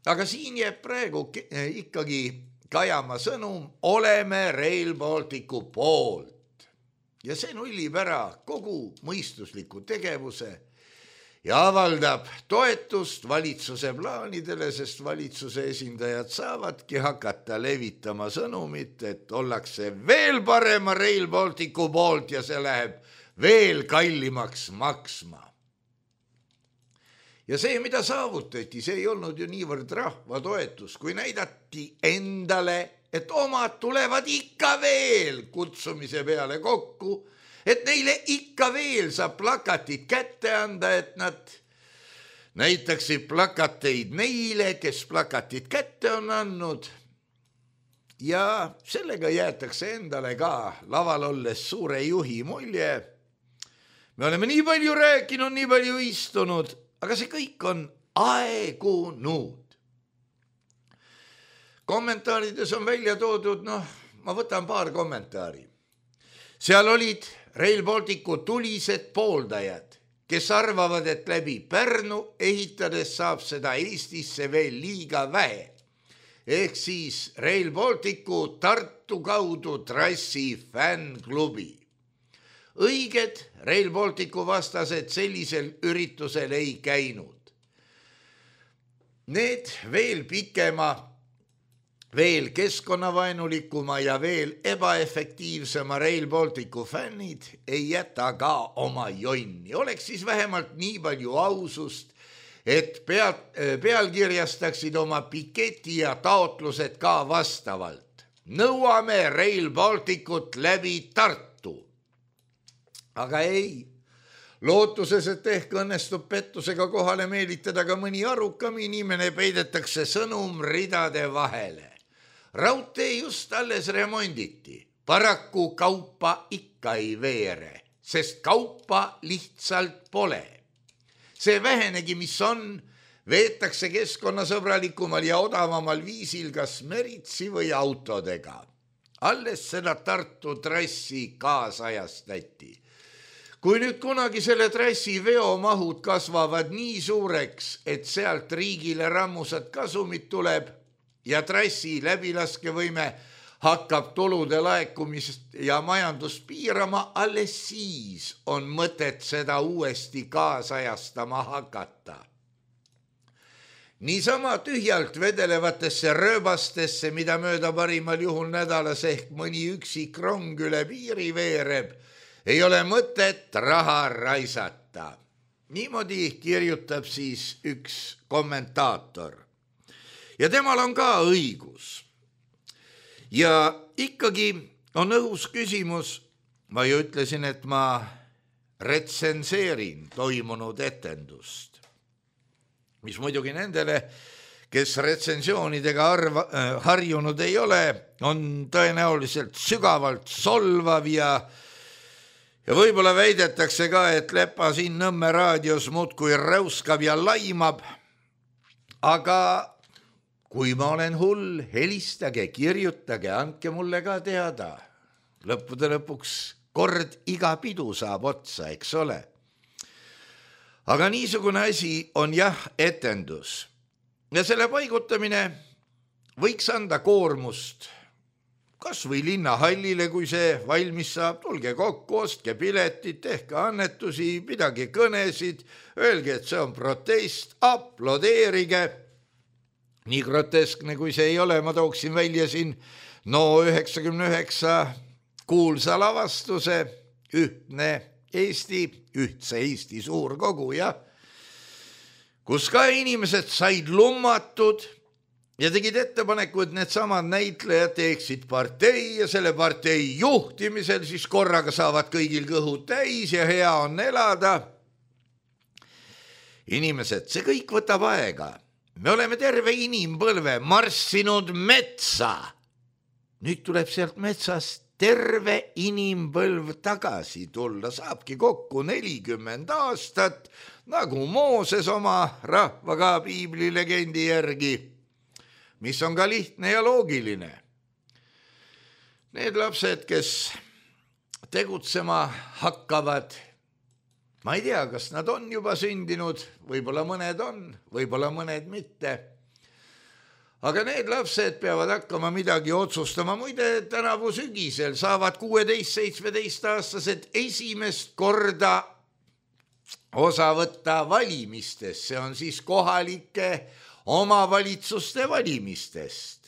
Aga siin jääb praegu ikkagi kajama sõnum, oleme Rail Balticu poolt. Ja see nullib ära kogu mõistusliku tegevuse ja avaldab toetust valitsuse plaanidele, sest valitsuse esindajad saavadki hakata levitama sõnumit, et ollakse veel parema Rail Balticu poolt ja see läheb veel kallimaks maksma. Ja see, mida saavutati, see ei olnud ju niivõrd rahva toetus, kui näidati endale, et omad tulevad ikka veel kutsumise peale kokku, et neile ikka veel saab plakatit kätte anda, et nad näitaksid plakateid neile, kes plakatit kätte on andnud. Ja sellega jäetakse endale ka laval olles suure juhi mulje. Me oleme nii palju rääkinud, nii palju istunud, aga see kõik on aegunud. Kommentaarides on välja toodud, ma võtan paar kommentaari. Seal olid Rail Balticu tulised pooldajad, kes arvavad, et läbi Pärnu ehitades saab seda Eestisse veel liiga vähe. Ehk siis Rail Balticu Tartu kaudu trassi fännklubi. Õiged Rail Balticu vastased sellisel üritusel ei käinud. Need veel pikema, veel keskkonnavaenulikuma ja veel ebaefektiivsema Rail Balticu fännid ei jäta ka oma jonni. Oleks siis vähemalt nii palju ausust, et pealkirjastaksid oma piketi ja taotlused ka vastavalt. Nõuame Rail Balticut läbi Tartu. Aga ei. Lootuses, et ehk õnnestub pettusega kohale meelitada ka mõni arukam inimene, peidetakse sõnum ridade vahele. Raudtee just alles remonditi. Paraku kaupa ikka ei veere. sest kaupa lihtsalt pole. See vähenegi, mis on, veetakse keskkonnasõbralikumal ja odavamal viisil kas meritsi või autodega. Alles seda Tartu trassi kaasajastati. Kui nüüd kunagi selle trassi veomahud kasvavad nii suureks, et sealt riigile rammusat kasumit tuleb ja trassi läbilaskevõime hakkab tulude laekumist ja majandust piirama, alles siis on mõtet seda uuesti kaasajastama hakata. Niisama tühjalt vedelevatesse rööbastesse, mida mööda parimal juhul nädalas ehk mõni üksik rong üle piiri veereb, ei ole mõtet raha raisata. Niimoodi kirjutab siis üks kommentaator. Ja temal on ka õigus. Ja ikkagi on õhus küsimus, ma ju ütlesin, et ma retsenseerin toimunud etendust, mis muidugi nendele, kes retsensioonidega harjunud ei ole, on tõenäoliselt sügavalt solvav ja võib-olla väidetakse ka, et Lepa siin Nõmme raadios muudkui räuskab ja laimab, aga kui ma olen hull, helistage, kirjutage, andke mulle ka teada. Lõppude lõpuks kord iga pidu saab otsa, eks ole. Aga niisugune asi on jah etendus. Ja selle paigutamine võiks anda koormust kas või linnahallile, kui see valmis saab, tulge kokku, ostke piletit, tehke annetusi, pidage kõnesid, öelge, et see on protest, aplodeerige. Nii groteskne, kui see ei ole, ma tooksin välja siin No99 kuulsa lavastuse Ühtse Eesti suurkogu, jah, kus ka inimesed said lummatud ja tegid ettepaneku, et needsamad näitlejad teeksid partei ja selle partei juhtimisel siis korraga saavad kõigil kõhud täis ja hea on elada. Inimesed, see kõik võtab aega. Me oleme terve inimpõlve marssinud metsa. Nüüd tuleb sealt metsast terve inimpõlv tagasi tulla. Saabki kokku 40 aastat, nagu Mooses oma rahvaga piibli legendi järgi, mis on ka lihtne ja loogiline. Need lapsed, kes tegutsema hakkavad, ma ei tea, kas nad on juba sündinud, võib-olla mõned on, võib-olla mõned mitte. Aga need lapsed peavad hakkama midagi otsustama. Muide, tänavu sügisel saavad 16-17-aastased esimest korda osa võtta valimistest. See on siis kohalike omavalitsuste valimistest.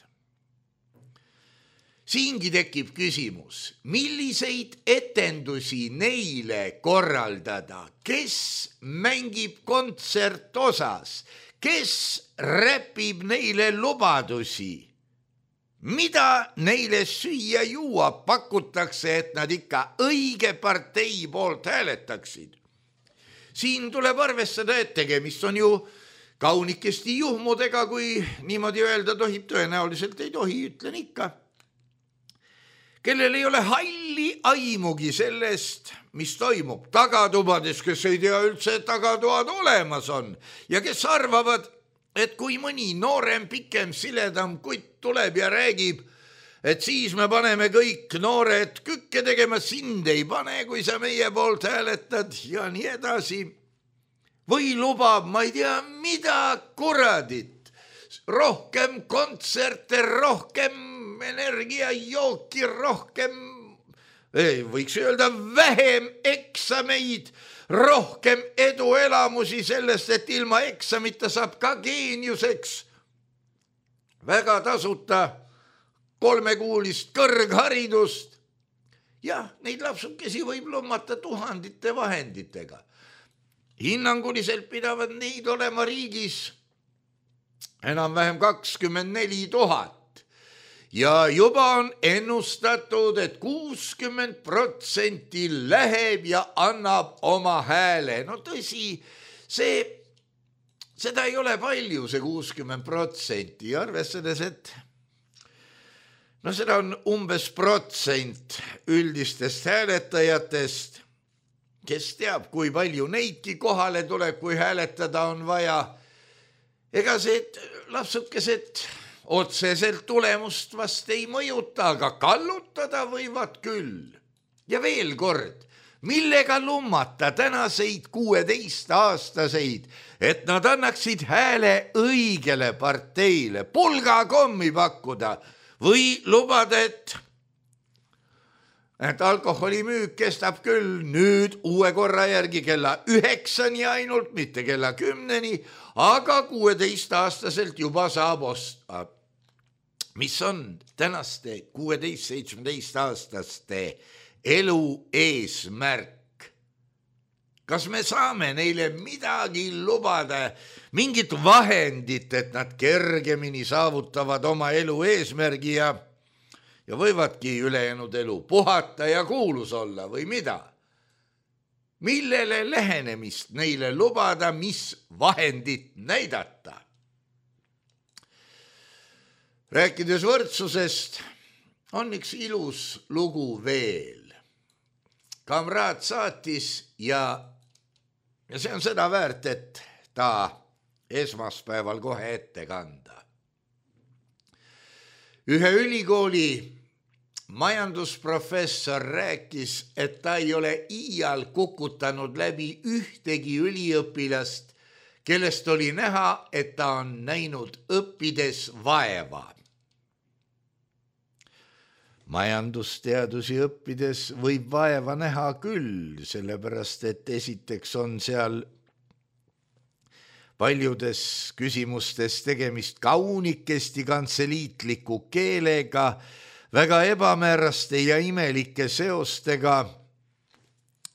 Siingi tekib küsimus, milliseid etendusi neile korraldada, kes mängib kontsertosas, kes räpib neile lubadusi, mida neile süüa juua pakutakse, et nad ikka õige partei poolt hääletaksid. Siin tuleb arvestada, et tegemist on ju kaunikesti juhmudega, kui niimoodi öelda tohib, tõenäoliselt ei tohi, ütlen ikka, kellel ei ole halli aimugi sellest, mis toimub tagatubades, kes ei tea üldse, et tagatoad olemas on ja kes arvavad, et kui mõni noorem, pikem, siledam kutt tuleb ja räägib, et siis me paneme kõik noored kükke tegema, sind ei pane, kui sa meie poolt hääletad ja nii edasi. Või lubab, ma ei tea, mida kuradit, rohkem kontserte, rohkem energiajooki, rohkem, võiks öelda, vähem eksameid, rohkem eduelamusi sellest, et ilma eksamita saab ka geeniuseks. Väga tasuta 3-kuulist kõrgharidust. Jah, neid lapsukesi võib lommata tuhandite vahenditega. Hinnanguliselt pidavad neid olema riigis enam-vähem 24 000. Ja juba on ennustatud, et 60% läheb ja annab oma hääle. No tõsi, seda ei ole palju, see 60%, arvestades, et seda on umbes protsent üldistest hääletajatest kes teab, kui palju neidki kohale tuleb, kui hääletada on vaja. Ega see lapsukesed otseselt tulemust vast ei mõjuta, aga kallutada võivad küll. Ja veel kord, millega lummata tänaseid 16-aastaseid, et nad annaksid hääle õigele parteile, pulgakommi pakkuda või lubada, et alkoholimüük kestab küll nüüd uue korra järgi kella 9-ni ainult, mitte kella 10-ni, aga 16-aastaselt juba saab osta. Mis on tänaste 16-17-aastaste elu eesmärk? Kas me saame neile midagi lubada, mingit vahendit, et nad kergemini saavutavad oma elu eesmärgi ja võivadki ülejäänud elu puhata ja kuulus olla või mida? Millele lähenemist neile lubada, mis vahendit näidata? Rääkides võrdsusest, on üks ilus lugu veel. Kamraad saatis ja see on seda väärt, et ta esmaspäeval kohe ette kanda. Ühe ülikooli majandusprofessor rääkis, et ta ei ole iial kukutanud läbi ühtegi üliõpilast, kellest oli näha, et ta on näinud õppides vaeva. Majandusteadusi õppides võib vaeva näha küll, sellepärast et esiteks on seal paljudes küsimustes tegemist kaunikesti kantseliitliku keelega, väga ebamääraste ja imelike seostega.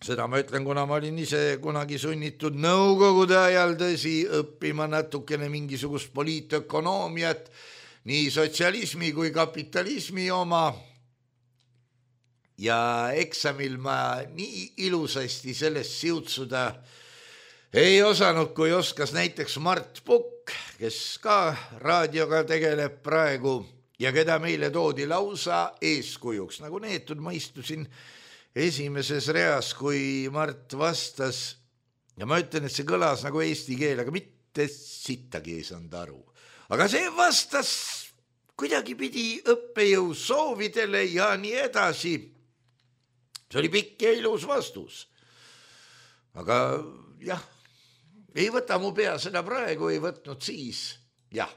Seda ma ütlen, kuna ma olin ise kunagi sunnitud nõukogude ajal tõsi õppima natukene mingisugust poliitökonoomiat, nii sotsialismi kui kapitalismi oma. Ja eksamil ma nii ilusasti sellest siutsuda ei osanud, kui oskas näiteks Mart Pukk, kes ka raadioga tegeleb praegu ja keda meile toodi lausa eeskujuks. Nagu neetud ma istusin esimeses reas, kui Mart vastas ja ma ütlen, et see kõlas nagu eesti keel, aga mitte sittagi ei saanud aru. Aga see vastas kuidagi pidi õppejõu soovidele ja nii edasi. See oli pikk ja ilus vastus. Aga jah, ei võta mu pea seda praegu, ei võtnud siis. Jah.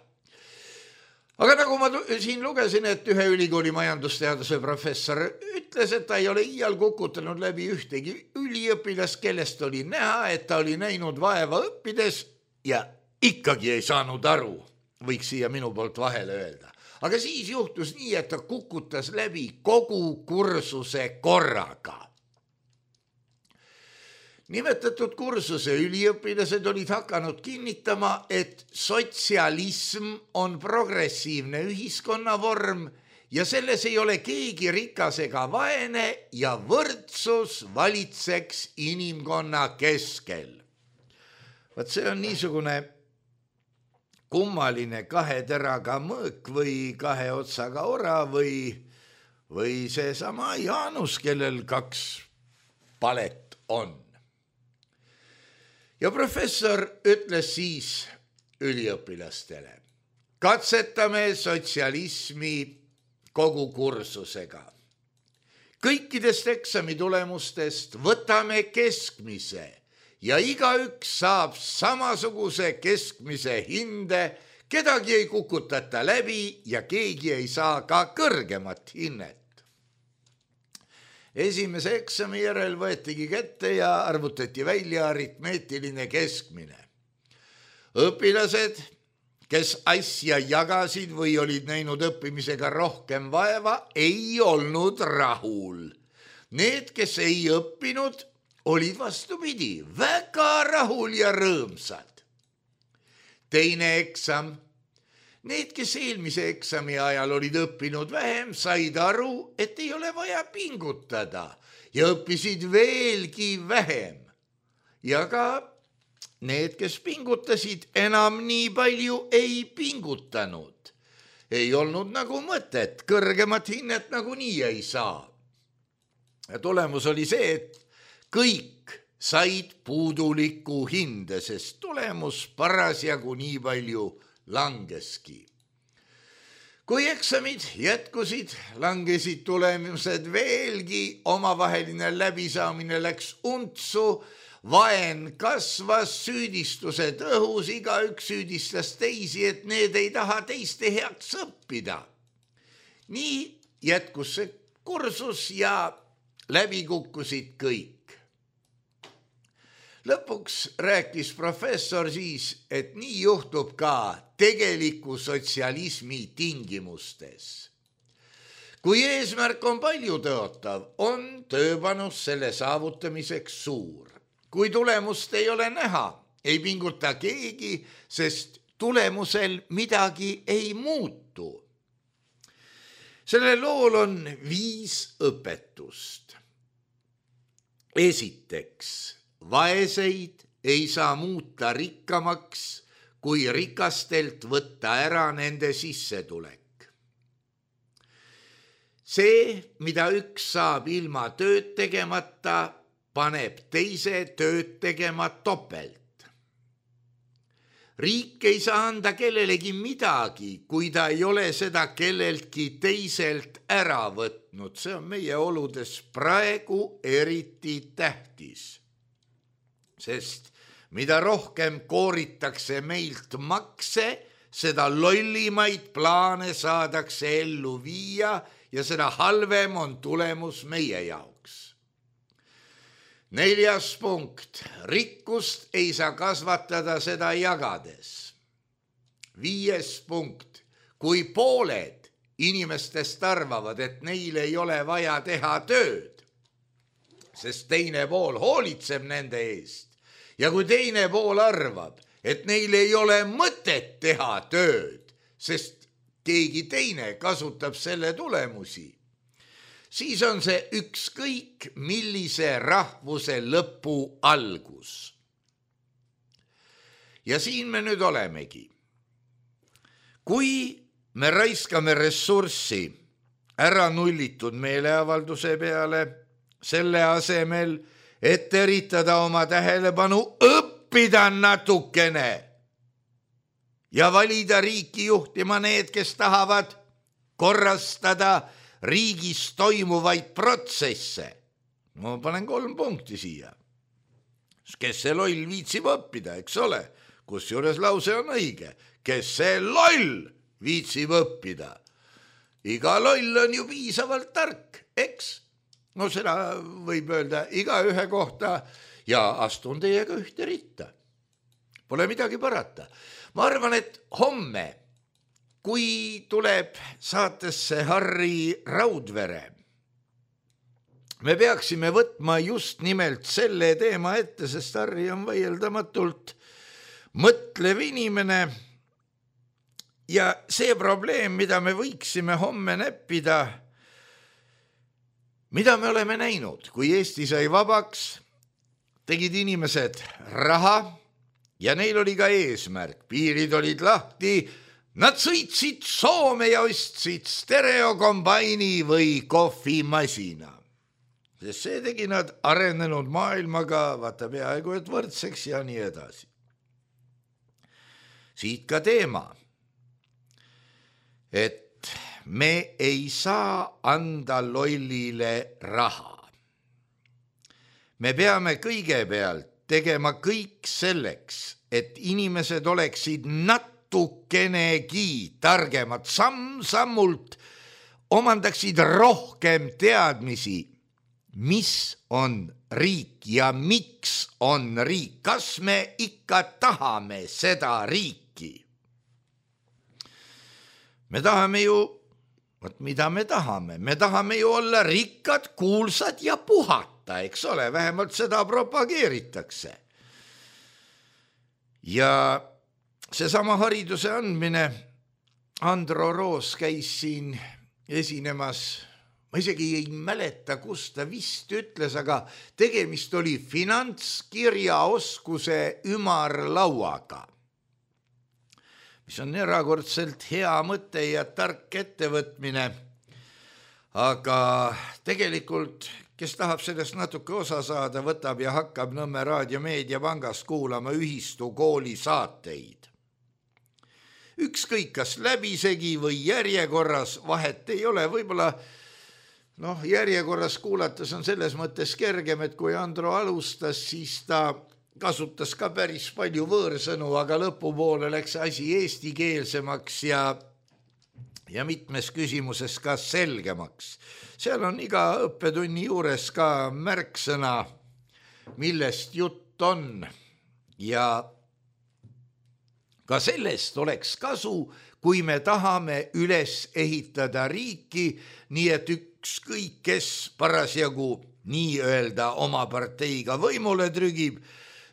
Aga nagu ma siin lugesin, et ühe ülikooli majandusteaduse professor ütles, et ta ei ole iial kukutanud läbi ühtegi üliõpilast, kellest oli näha, et ta oli näinud vaeva õppides ja ikkagi ei saanud aru, võiks siia minu poolt vahele öelda. Aga siis juhtus nii, et ta kukutas läbi kogu kursuse korraga. Nimetatud kursuse üliõpilased olid hakanud kinnitama, et sotsialism on progressiivne ühiskonnavorm ja selles ei ole keegi rikas ega vaene ja võrdsus valitseks inimkonna keskel. Vaat see on niisugune kummaline kahe teraga mõõk või kahe otsaga ora või see sama Jaanus, kellel 2 palet on. Ja professor ütles siis üliõpilastele, katsetame sotsialismi kogu kursusega. Kõikidest eksami tulemustest võtame keskmise ja igaüks saab samasuguse keskmise hinde, kedagi ei kukutata läbi ja keegi ei saa ka kõrgemat hinnet. Esimese eksami järel võetigi kätte ja arvutati välja aritmeetiline keskmine. Õpilased, kes asja jagasid või olid näinud õppimisega rohkem vaeva, ei olnud rahul. Need, kes ei õppinud, olid vastupidi, väga rahul ja rõõmsad. Teine eksam. Need, kes eelmise eksami ajal olid õppinud vähem, said aru, et ei ole vaja pingutada ja õppisid veelgi vähem. Ja ka need, kes pingutasid, enam nii palju ei pingutanud. Ei olnud nagu mõtet, kõrgemat hinnet nagunii ei saa. Ja tulemus oli see, et kõik said puudulikku hinde, sest tulemus parasjagu nii palju langeski. Kui eksamid jätkusid, langesid tulemused veelgi, omavaheline läbisaamine läks untsu, vaen kasvas, süüdistused õhus, igaüks süüdistas teisi, et need ei taha teiste heaks õppida. Nii jätkus see kursus ja läbi kukkusid kõik. Lõpuks rääkis professor siis, et nii juhtub ka tegeliku sotsialismi tingimustes. Kui eesmärk on palju tõotav, on tööpanus selle saavutamiseks suur. Kui tulemust ei ole näha, ei pinguta keegi, sest tulemusel midagi ei muutu. Sellel lool on 5 õpetust. Esiteks, vaeseid ei saa muuta rikkamaks, kui rikastelt võtta ära nende sissetulek. See, mida üks saab ilma tööd tegemata, paneb teise tööd tegema topelt. Riik ei saa anda kellelegi midagi, kui ta ei ole seda kelleltki teiselt ära võtnud. See on meie oludes praegu eriti tähtis. Sest mida rohkem kooritakse meilt makse, seda lollimaid plaane saadakse ellu viia ja seda halvem on tulemus meie jaoks. 4. punkt. Rikkust ei saa kasvatada seda jagades. 5. punkt. Kui pooled inimestest arvavad, et neil ei ole vaja teha tööd, sest teine pool hoolitseb nende eest, ja kui teine pool arvab, et neil ei ole mõtet teha tööd, sest keegi teine kasutab selle tulemusi, siis on see ükskõik millise rahvuse lõpu algus. Ja siin me nüüd olemegi. Kui me raiskame ressurssi ära nullitud meeleavalduse peale, selle asemel, et eritada oma tähelepanu, õppida natukene ja valida riiki juhtima need, kes tahavad korrastada riigis toimuvaid protsesse. Ma panen 3 punkti siia. Kes see loll viitsib õppida, eks ole? Kusjuures lause on õige. Kes see loll viitsib õppida? Iga loll on ju piisavalt tark, eks? No seda võib öelda iga ühe kohta ja astun teiega ühte ritta. Pole midagi parata. Ma arvan, et homme, kui tuleb saatesse Harri Raudvere, me peaksime võtma just nimelt selle teema ette, sest Harri on vaieldamatult mõtlev inimene ja see probleem, mida me võiksime homme näppida, mida me oleme näinud, kui Eesti sai vabaks, tegid inimesed raha ja neil oli ka eesmärk. Piirid olid lahti, nad sõitsid Soome ja ostsid stereokombaini või kohvimasina. Sest see tegi nad arenenud maailmaga, vaata peaaegu et võrdseks ja nii edasi. Siit ka teema, et me ei saa anda lollile raha. Me peame kõigepealt tegema kõik selleks, et inimesed oleksid natukenegi targemad, samm-sammult omandaksid rohkem teadmisi, mis on riik ja miks on riik. Kas me ikka tahame seda riiki? Me tahame ju, mida me tahame? Me tahame ju olla rikkad, kuulsad ja puhata, eks ole, vähemalt seda propageeritakse. Ja seesama hariduse andmine, Andro Roos käis siin esinemas, ma isegi ei mäleta, kus ta vist ütles, aga tegemist oli finantskirjaoskuse ümarlauaga, mis on erakordselt hea mõte ja tark ettevõtmine, aga tegelikult kes tahab sellest natuke osa saada, võtab ja hakkab Nõmme Raadio Meediapangast kuulama Ühistu kooli saateid. Ükskõik kas läbisegi või järjekorras, vahet ei ole, võib-olla järjekorras kuulates on selles mõttes kergem, et kui Andro alustas, siis ta kasutas ka päris palju võõrsõnu, aga lõpupoole läks asi eestikeelsemaks ja mitmes küsimuses ka selgemaks. Seal on iga õppetunni juures ka märksõna, millest jutt on ja ka sellest oleks kasu, kui me tahame üles ehitada riiki, nii et ükskõik kes parasjagu nii-öelda oma parteiga võimule trügib,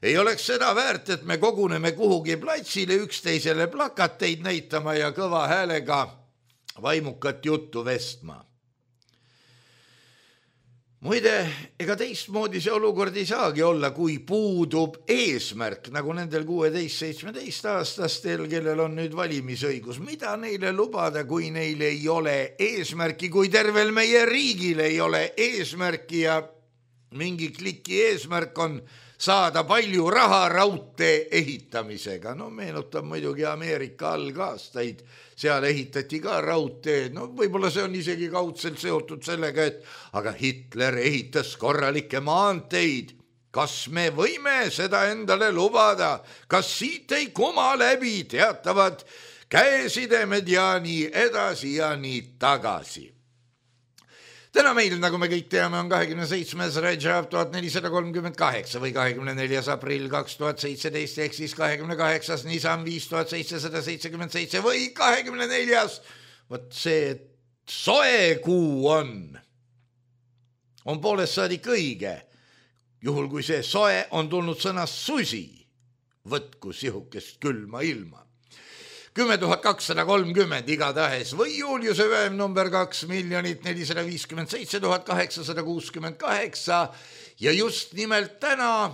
ei oleks seda väärt, et me koguneme kuhugi platsile üksteisele plakateid näitama ja kõva häälega vaimukat juttu vestma. Muide, ega teistmoodi see olukord ei saagi olla, kui puudub eesmärk, nagu nendel 16-17 aastastel, kellel on nüüd valimisõigus. Mida neile lubada, kui neil ei ole eesmärki, kui tervel meie riigil ei ole eesmärki ja mingi kliki eesmärk on saada palju raha raudtee ehitamisega. Meenutab muidugi Ameerika algaastaid, seal ehitati ka raudteed. Võib-olla see on isegi kaudselt seotud sellega, et aga Hitler ehitas korralikke maanteid. Kas me võime seda endale lubada? Kas siit ei kuma läbi teatavad käesidemed ja nii edasi ja nii tagasi? Täna meil, nagu me kõik teame, on 27. Rajab 1438 või 24. aprill 2017 ehk siis 28. Nisan 5777 või 24. Vot see soe kuu on poolest saadik õige, juhul kui see soe on tulnud sõnast susi, võtku sihukest külma ilma. 10 230 igatahes või Juliuse väem number 2 457 868 ja just nimelt täna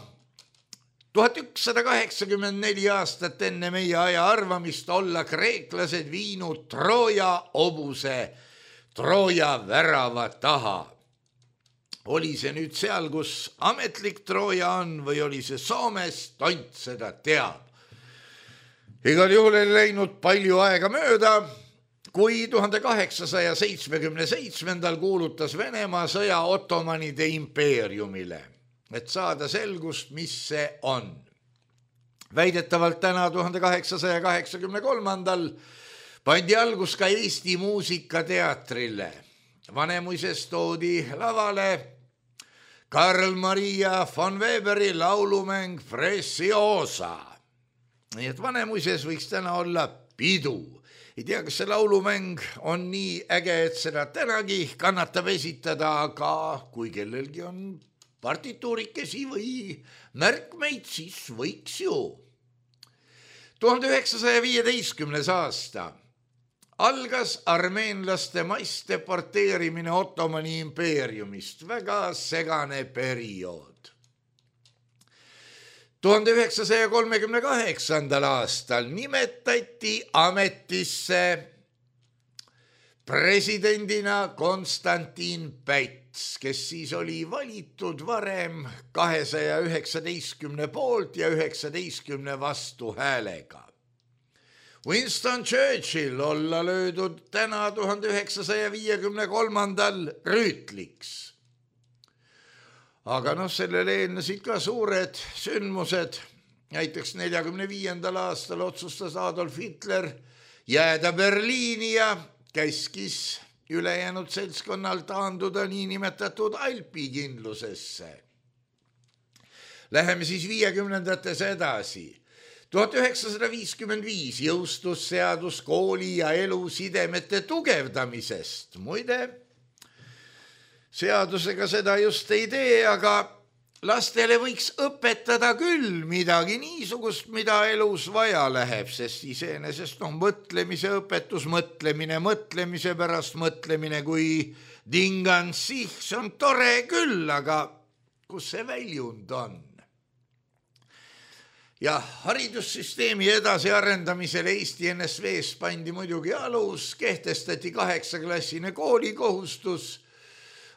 1184 aastat enne meie aja arvamist olla kreeklased viinud Trooja hobuse Trooja värava taha. Oli see nüüd seal, kus ametlik Trooja on või oli see Soomes, tont seda teab. Igal juhul ei läinud palju aega mööda, kui 1877 kuulutas Venemaa sõja Ottomanide impeeriumile, et saada selgust, mis see on. Väidetavalt täna 1883 pandi algus ka Eesti muusikateatrile. Vanemuises toodi lavale Karl Maria von Weberi laulumäng Preciosa. Nii et Vanemuises võiks täna olla pidu. Ei tea, kas see laulumäng on nii äge, et seda tänagi kannatab esitada, aga kui kellelgi on partituurikesi või märkmeid, siis võiks ju. 1915. aasta algas armeenlaste massdeporteerimine Ottomani impeeriumist. Väga segane periood. 1938. aastal nimetati ametisse presidendina Konstantin Päts, kes siis oli valitud varem 219 poolt ja 19 vastuhäälega. Winston Churchill olla löödud täna 1953. rüütliks. Aga sellele eelnesid ka suured sündmused. Näiteks 1945. aastal otsustas Adolf Hitler jääda Berliini ja käskis ülejäänud seltskonnal taanduda niinimetatud alpikindlusesse. Läheme siis 50-ndates edasi. 1955 jõustus seadus kooli ja elusidemete tugevdamisest. Muide, seadusega seda just ei tee, aga lastele võiks õpetada küll midagi niisugust, mida elus vaja läheb, sest iseenesest on mõtlemise õpetus, mõtlemise pärast mõtlemine, kui dingan sih, see on tore küll, aga kus see väljund on? Ja haridussüsteemi edasiarendamisel Eesti NSV-s pandi muidugi alus, kehtestati 8-klassine koolikohustus,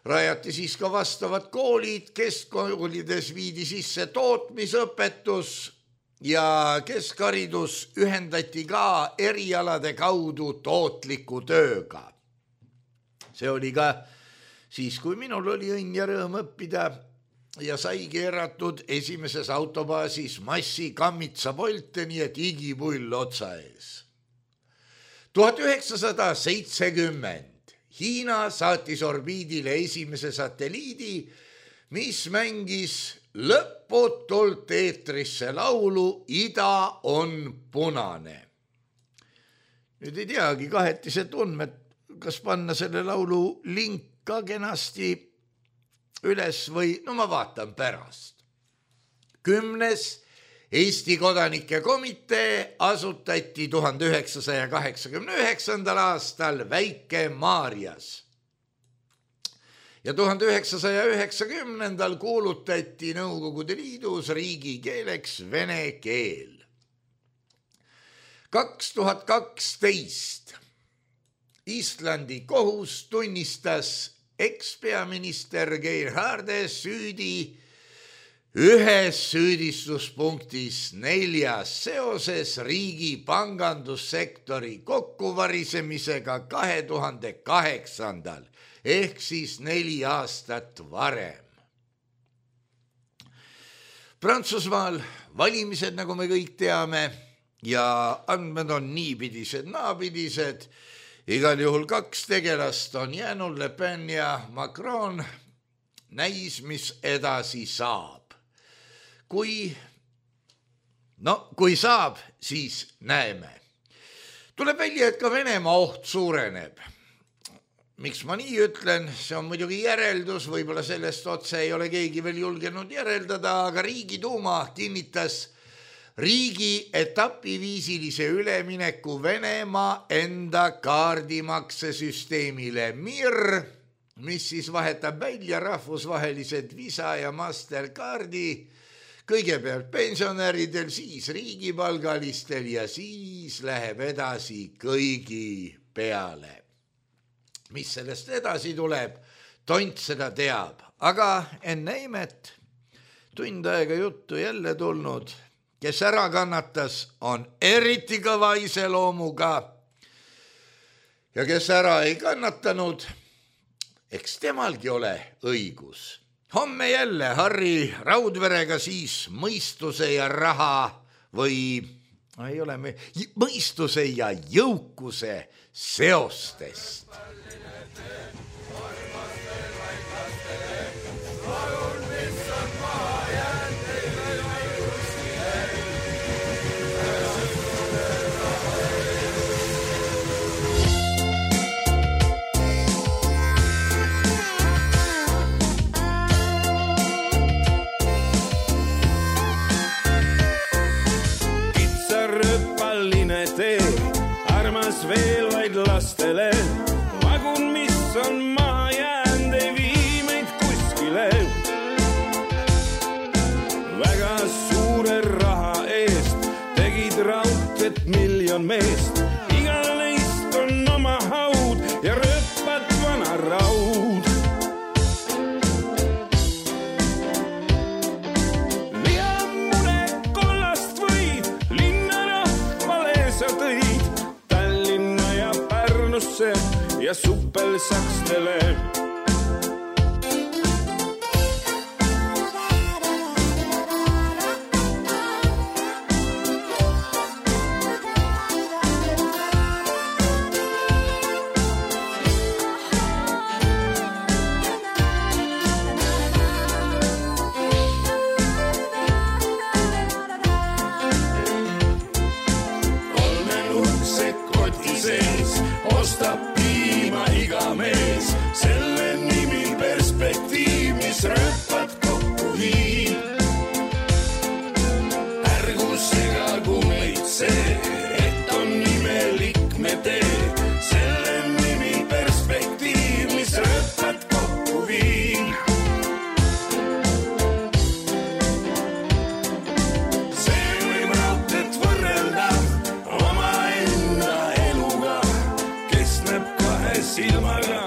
rajati siis ka vastavad koolid, keskkoolides viidi sisse tootmisõpetus ja keskharidus ühendati ka erialade kaudu tootliku tööga. See oli ka siis, kui minul oli õnn ja rõõm õppida ja sai keeratud esimeses autobaasis massi kammitsa volte, nii et igipull otsa ees. 1970 Hiina saatis orbiidile esimese satelliidi, mis mängis lõputult eetrisse laulu Ida on punane. Nüüd ei teagi kahetised tundmed, kas panna selle laulu link ka kenasti üles või, no ma vaatan pärast. 10. Eesti kodanike komitee asutati 1989. aastal Väike-Maarjas ja 1990. kuulutati Nõukogude Liidus riigikeeleks vene keel. 2012 Islandi kohus tunnistas ekspeaminister Gerhard süüdi ühes süüdistuspunktis 4 seoses riigi pangandussektori kokkuvarisemisega 2008. ehk siis 4 aastat varem. Prantsusmaal valimised, nagu me kõik teame, ja andmed on niipidised, naapidised. Igal juhul 2 tegelast on jäänud, Le Pen ja Macron. Näis, mis edasi saab. Kui saab, siis näeme. Tuleb välja, et ka Venemaa oht suureneb. Miks ma nii ütlen, see on muidugi järeldus, võib-olla sellest otse ei ole keegi veel julgenud järeldada, aga Riigiduuma kinnitas riigi etapiviisilise ülemineku Venemaa enda kaardimaksesüsteemile MIR, mis siis vahetab välja rahvusvahelised Visa ja Mastercardi, kõigepealt pensionäridel, siis riigipalgalistel ja siis läheb edasi kõigi peale. Mis sellest edasi tuleb, tont seda teab, aga enne imet, tund aega juttu jälle tulnud, kes ära kannatas, on eriti kõva iseloomuga ja kes ära ei kannatanud, eks temalgi ole õigus. Homme jälle Harri Raudverega siis mõistuse ja raha või ei ole mõistuse ja jõukuse seostest. Veel vaid lastele, vagun, mis on maha jäänud, ei vii meid kuskile. Väga suure raha eest tegid raudteed 1 miljon meest. Igal neist on oma haud ja rööpad vana raud. Lihamune kollast võid, linna rahvale sa tõid. Ja suppelsakstele. Kolmenurkse koti sees ostab iga mees, selle nimi perspektiiv, mis rööpad kokku hiib. Ärgu segagu meid see, et on imelik me tee, selle nimi perspektiiv, mis rööpad kokku viib. See võib raudteed võrrelda omaenda eluga, kes näeb 2 silmaga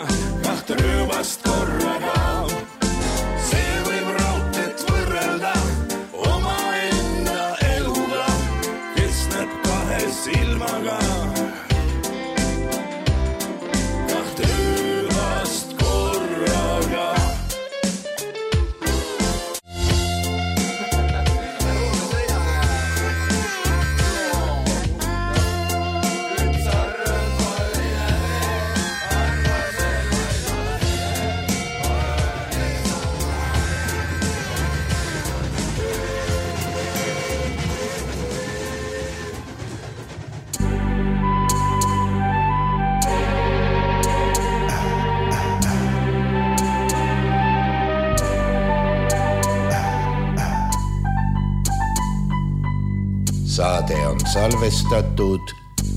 salvestatud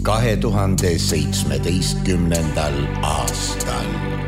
2017. aastal.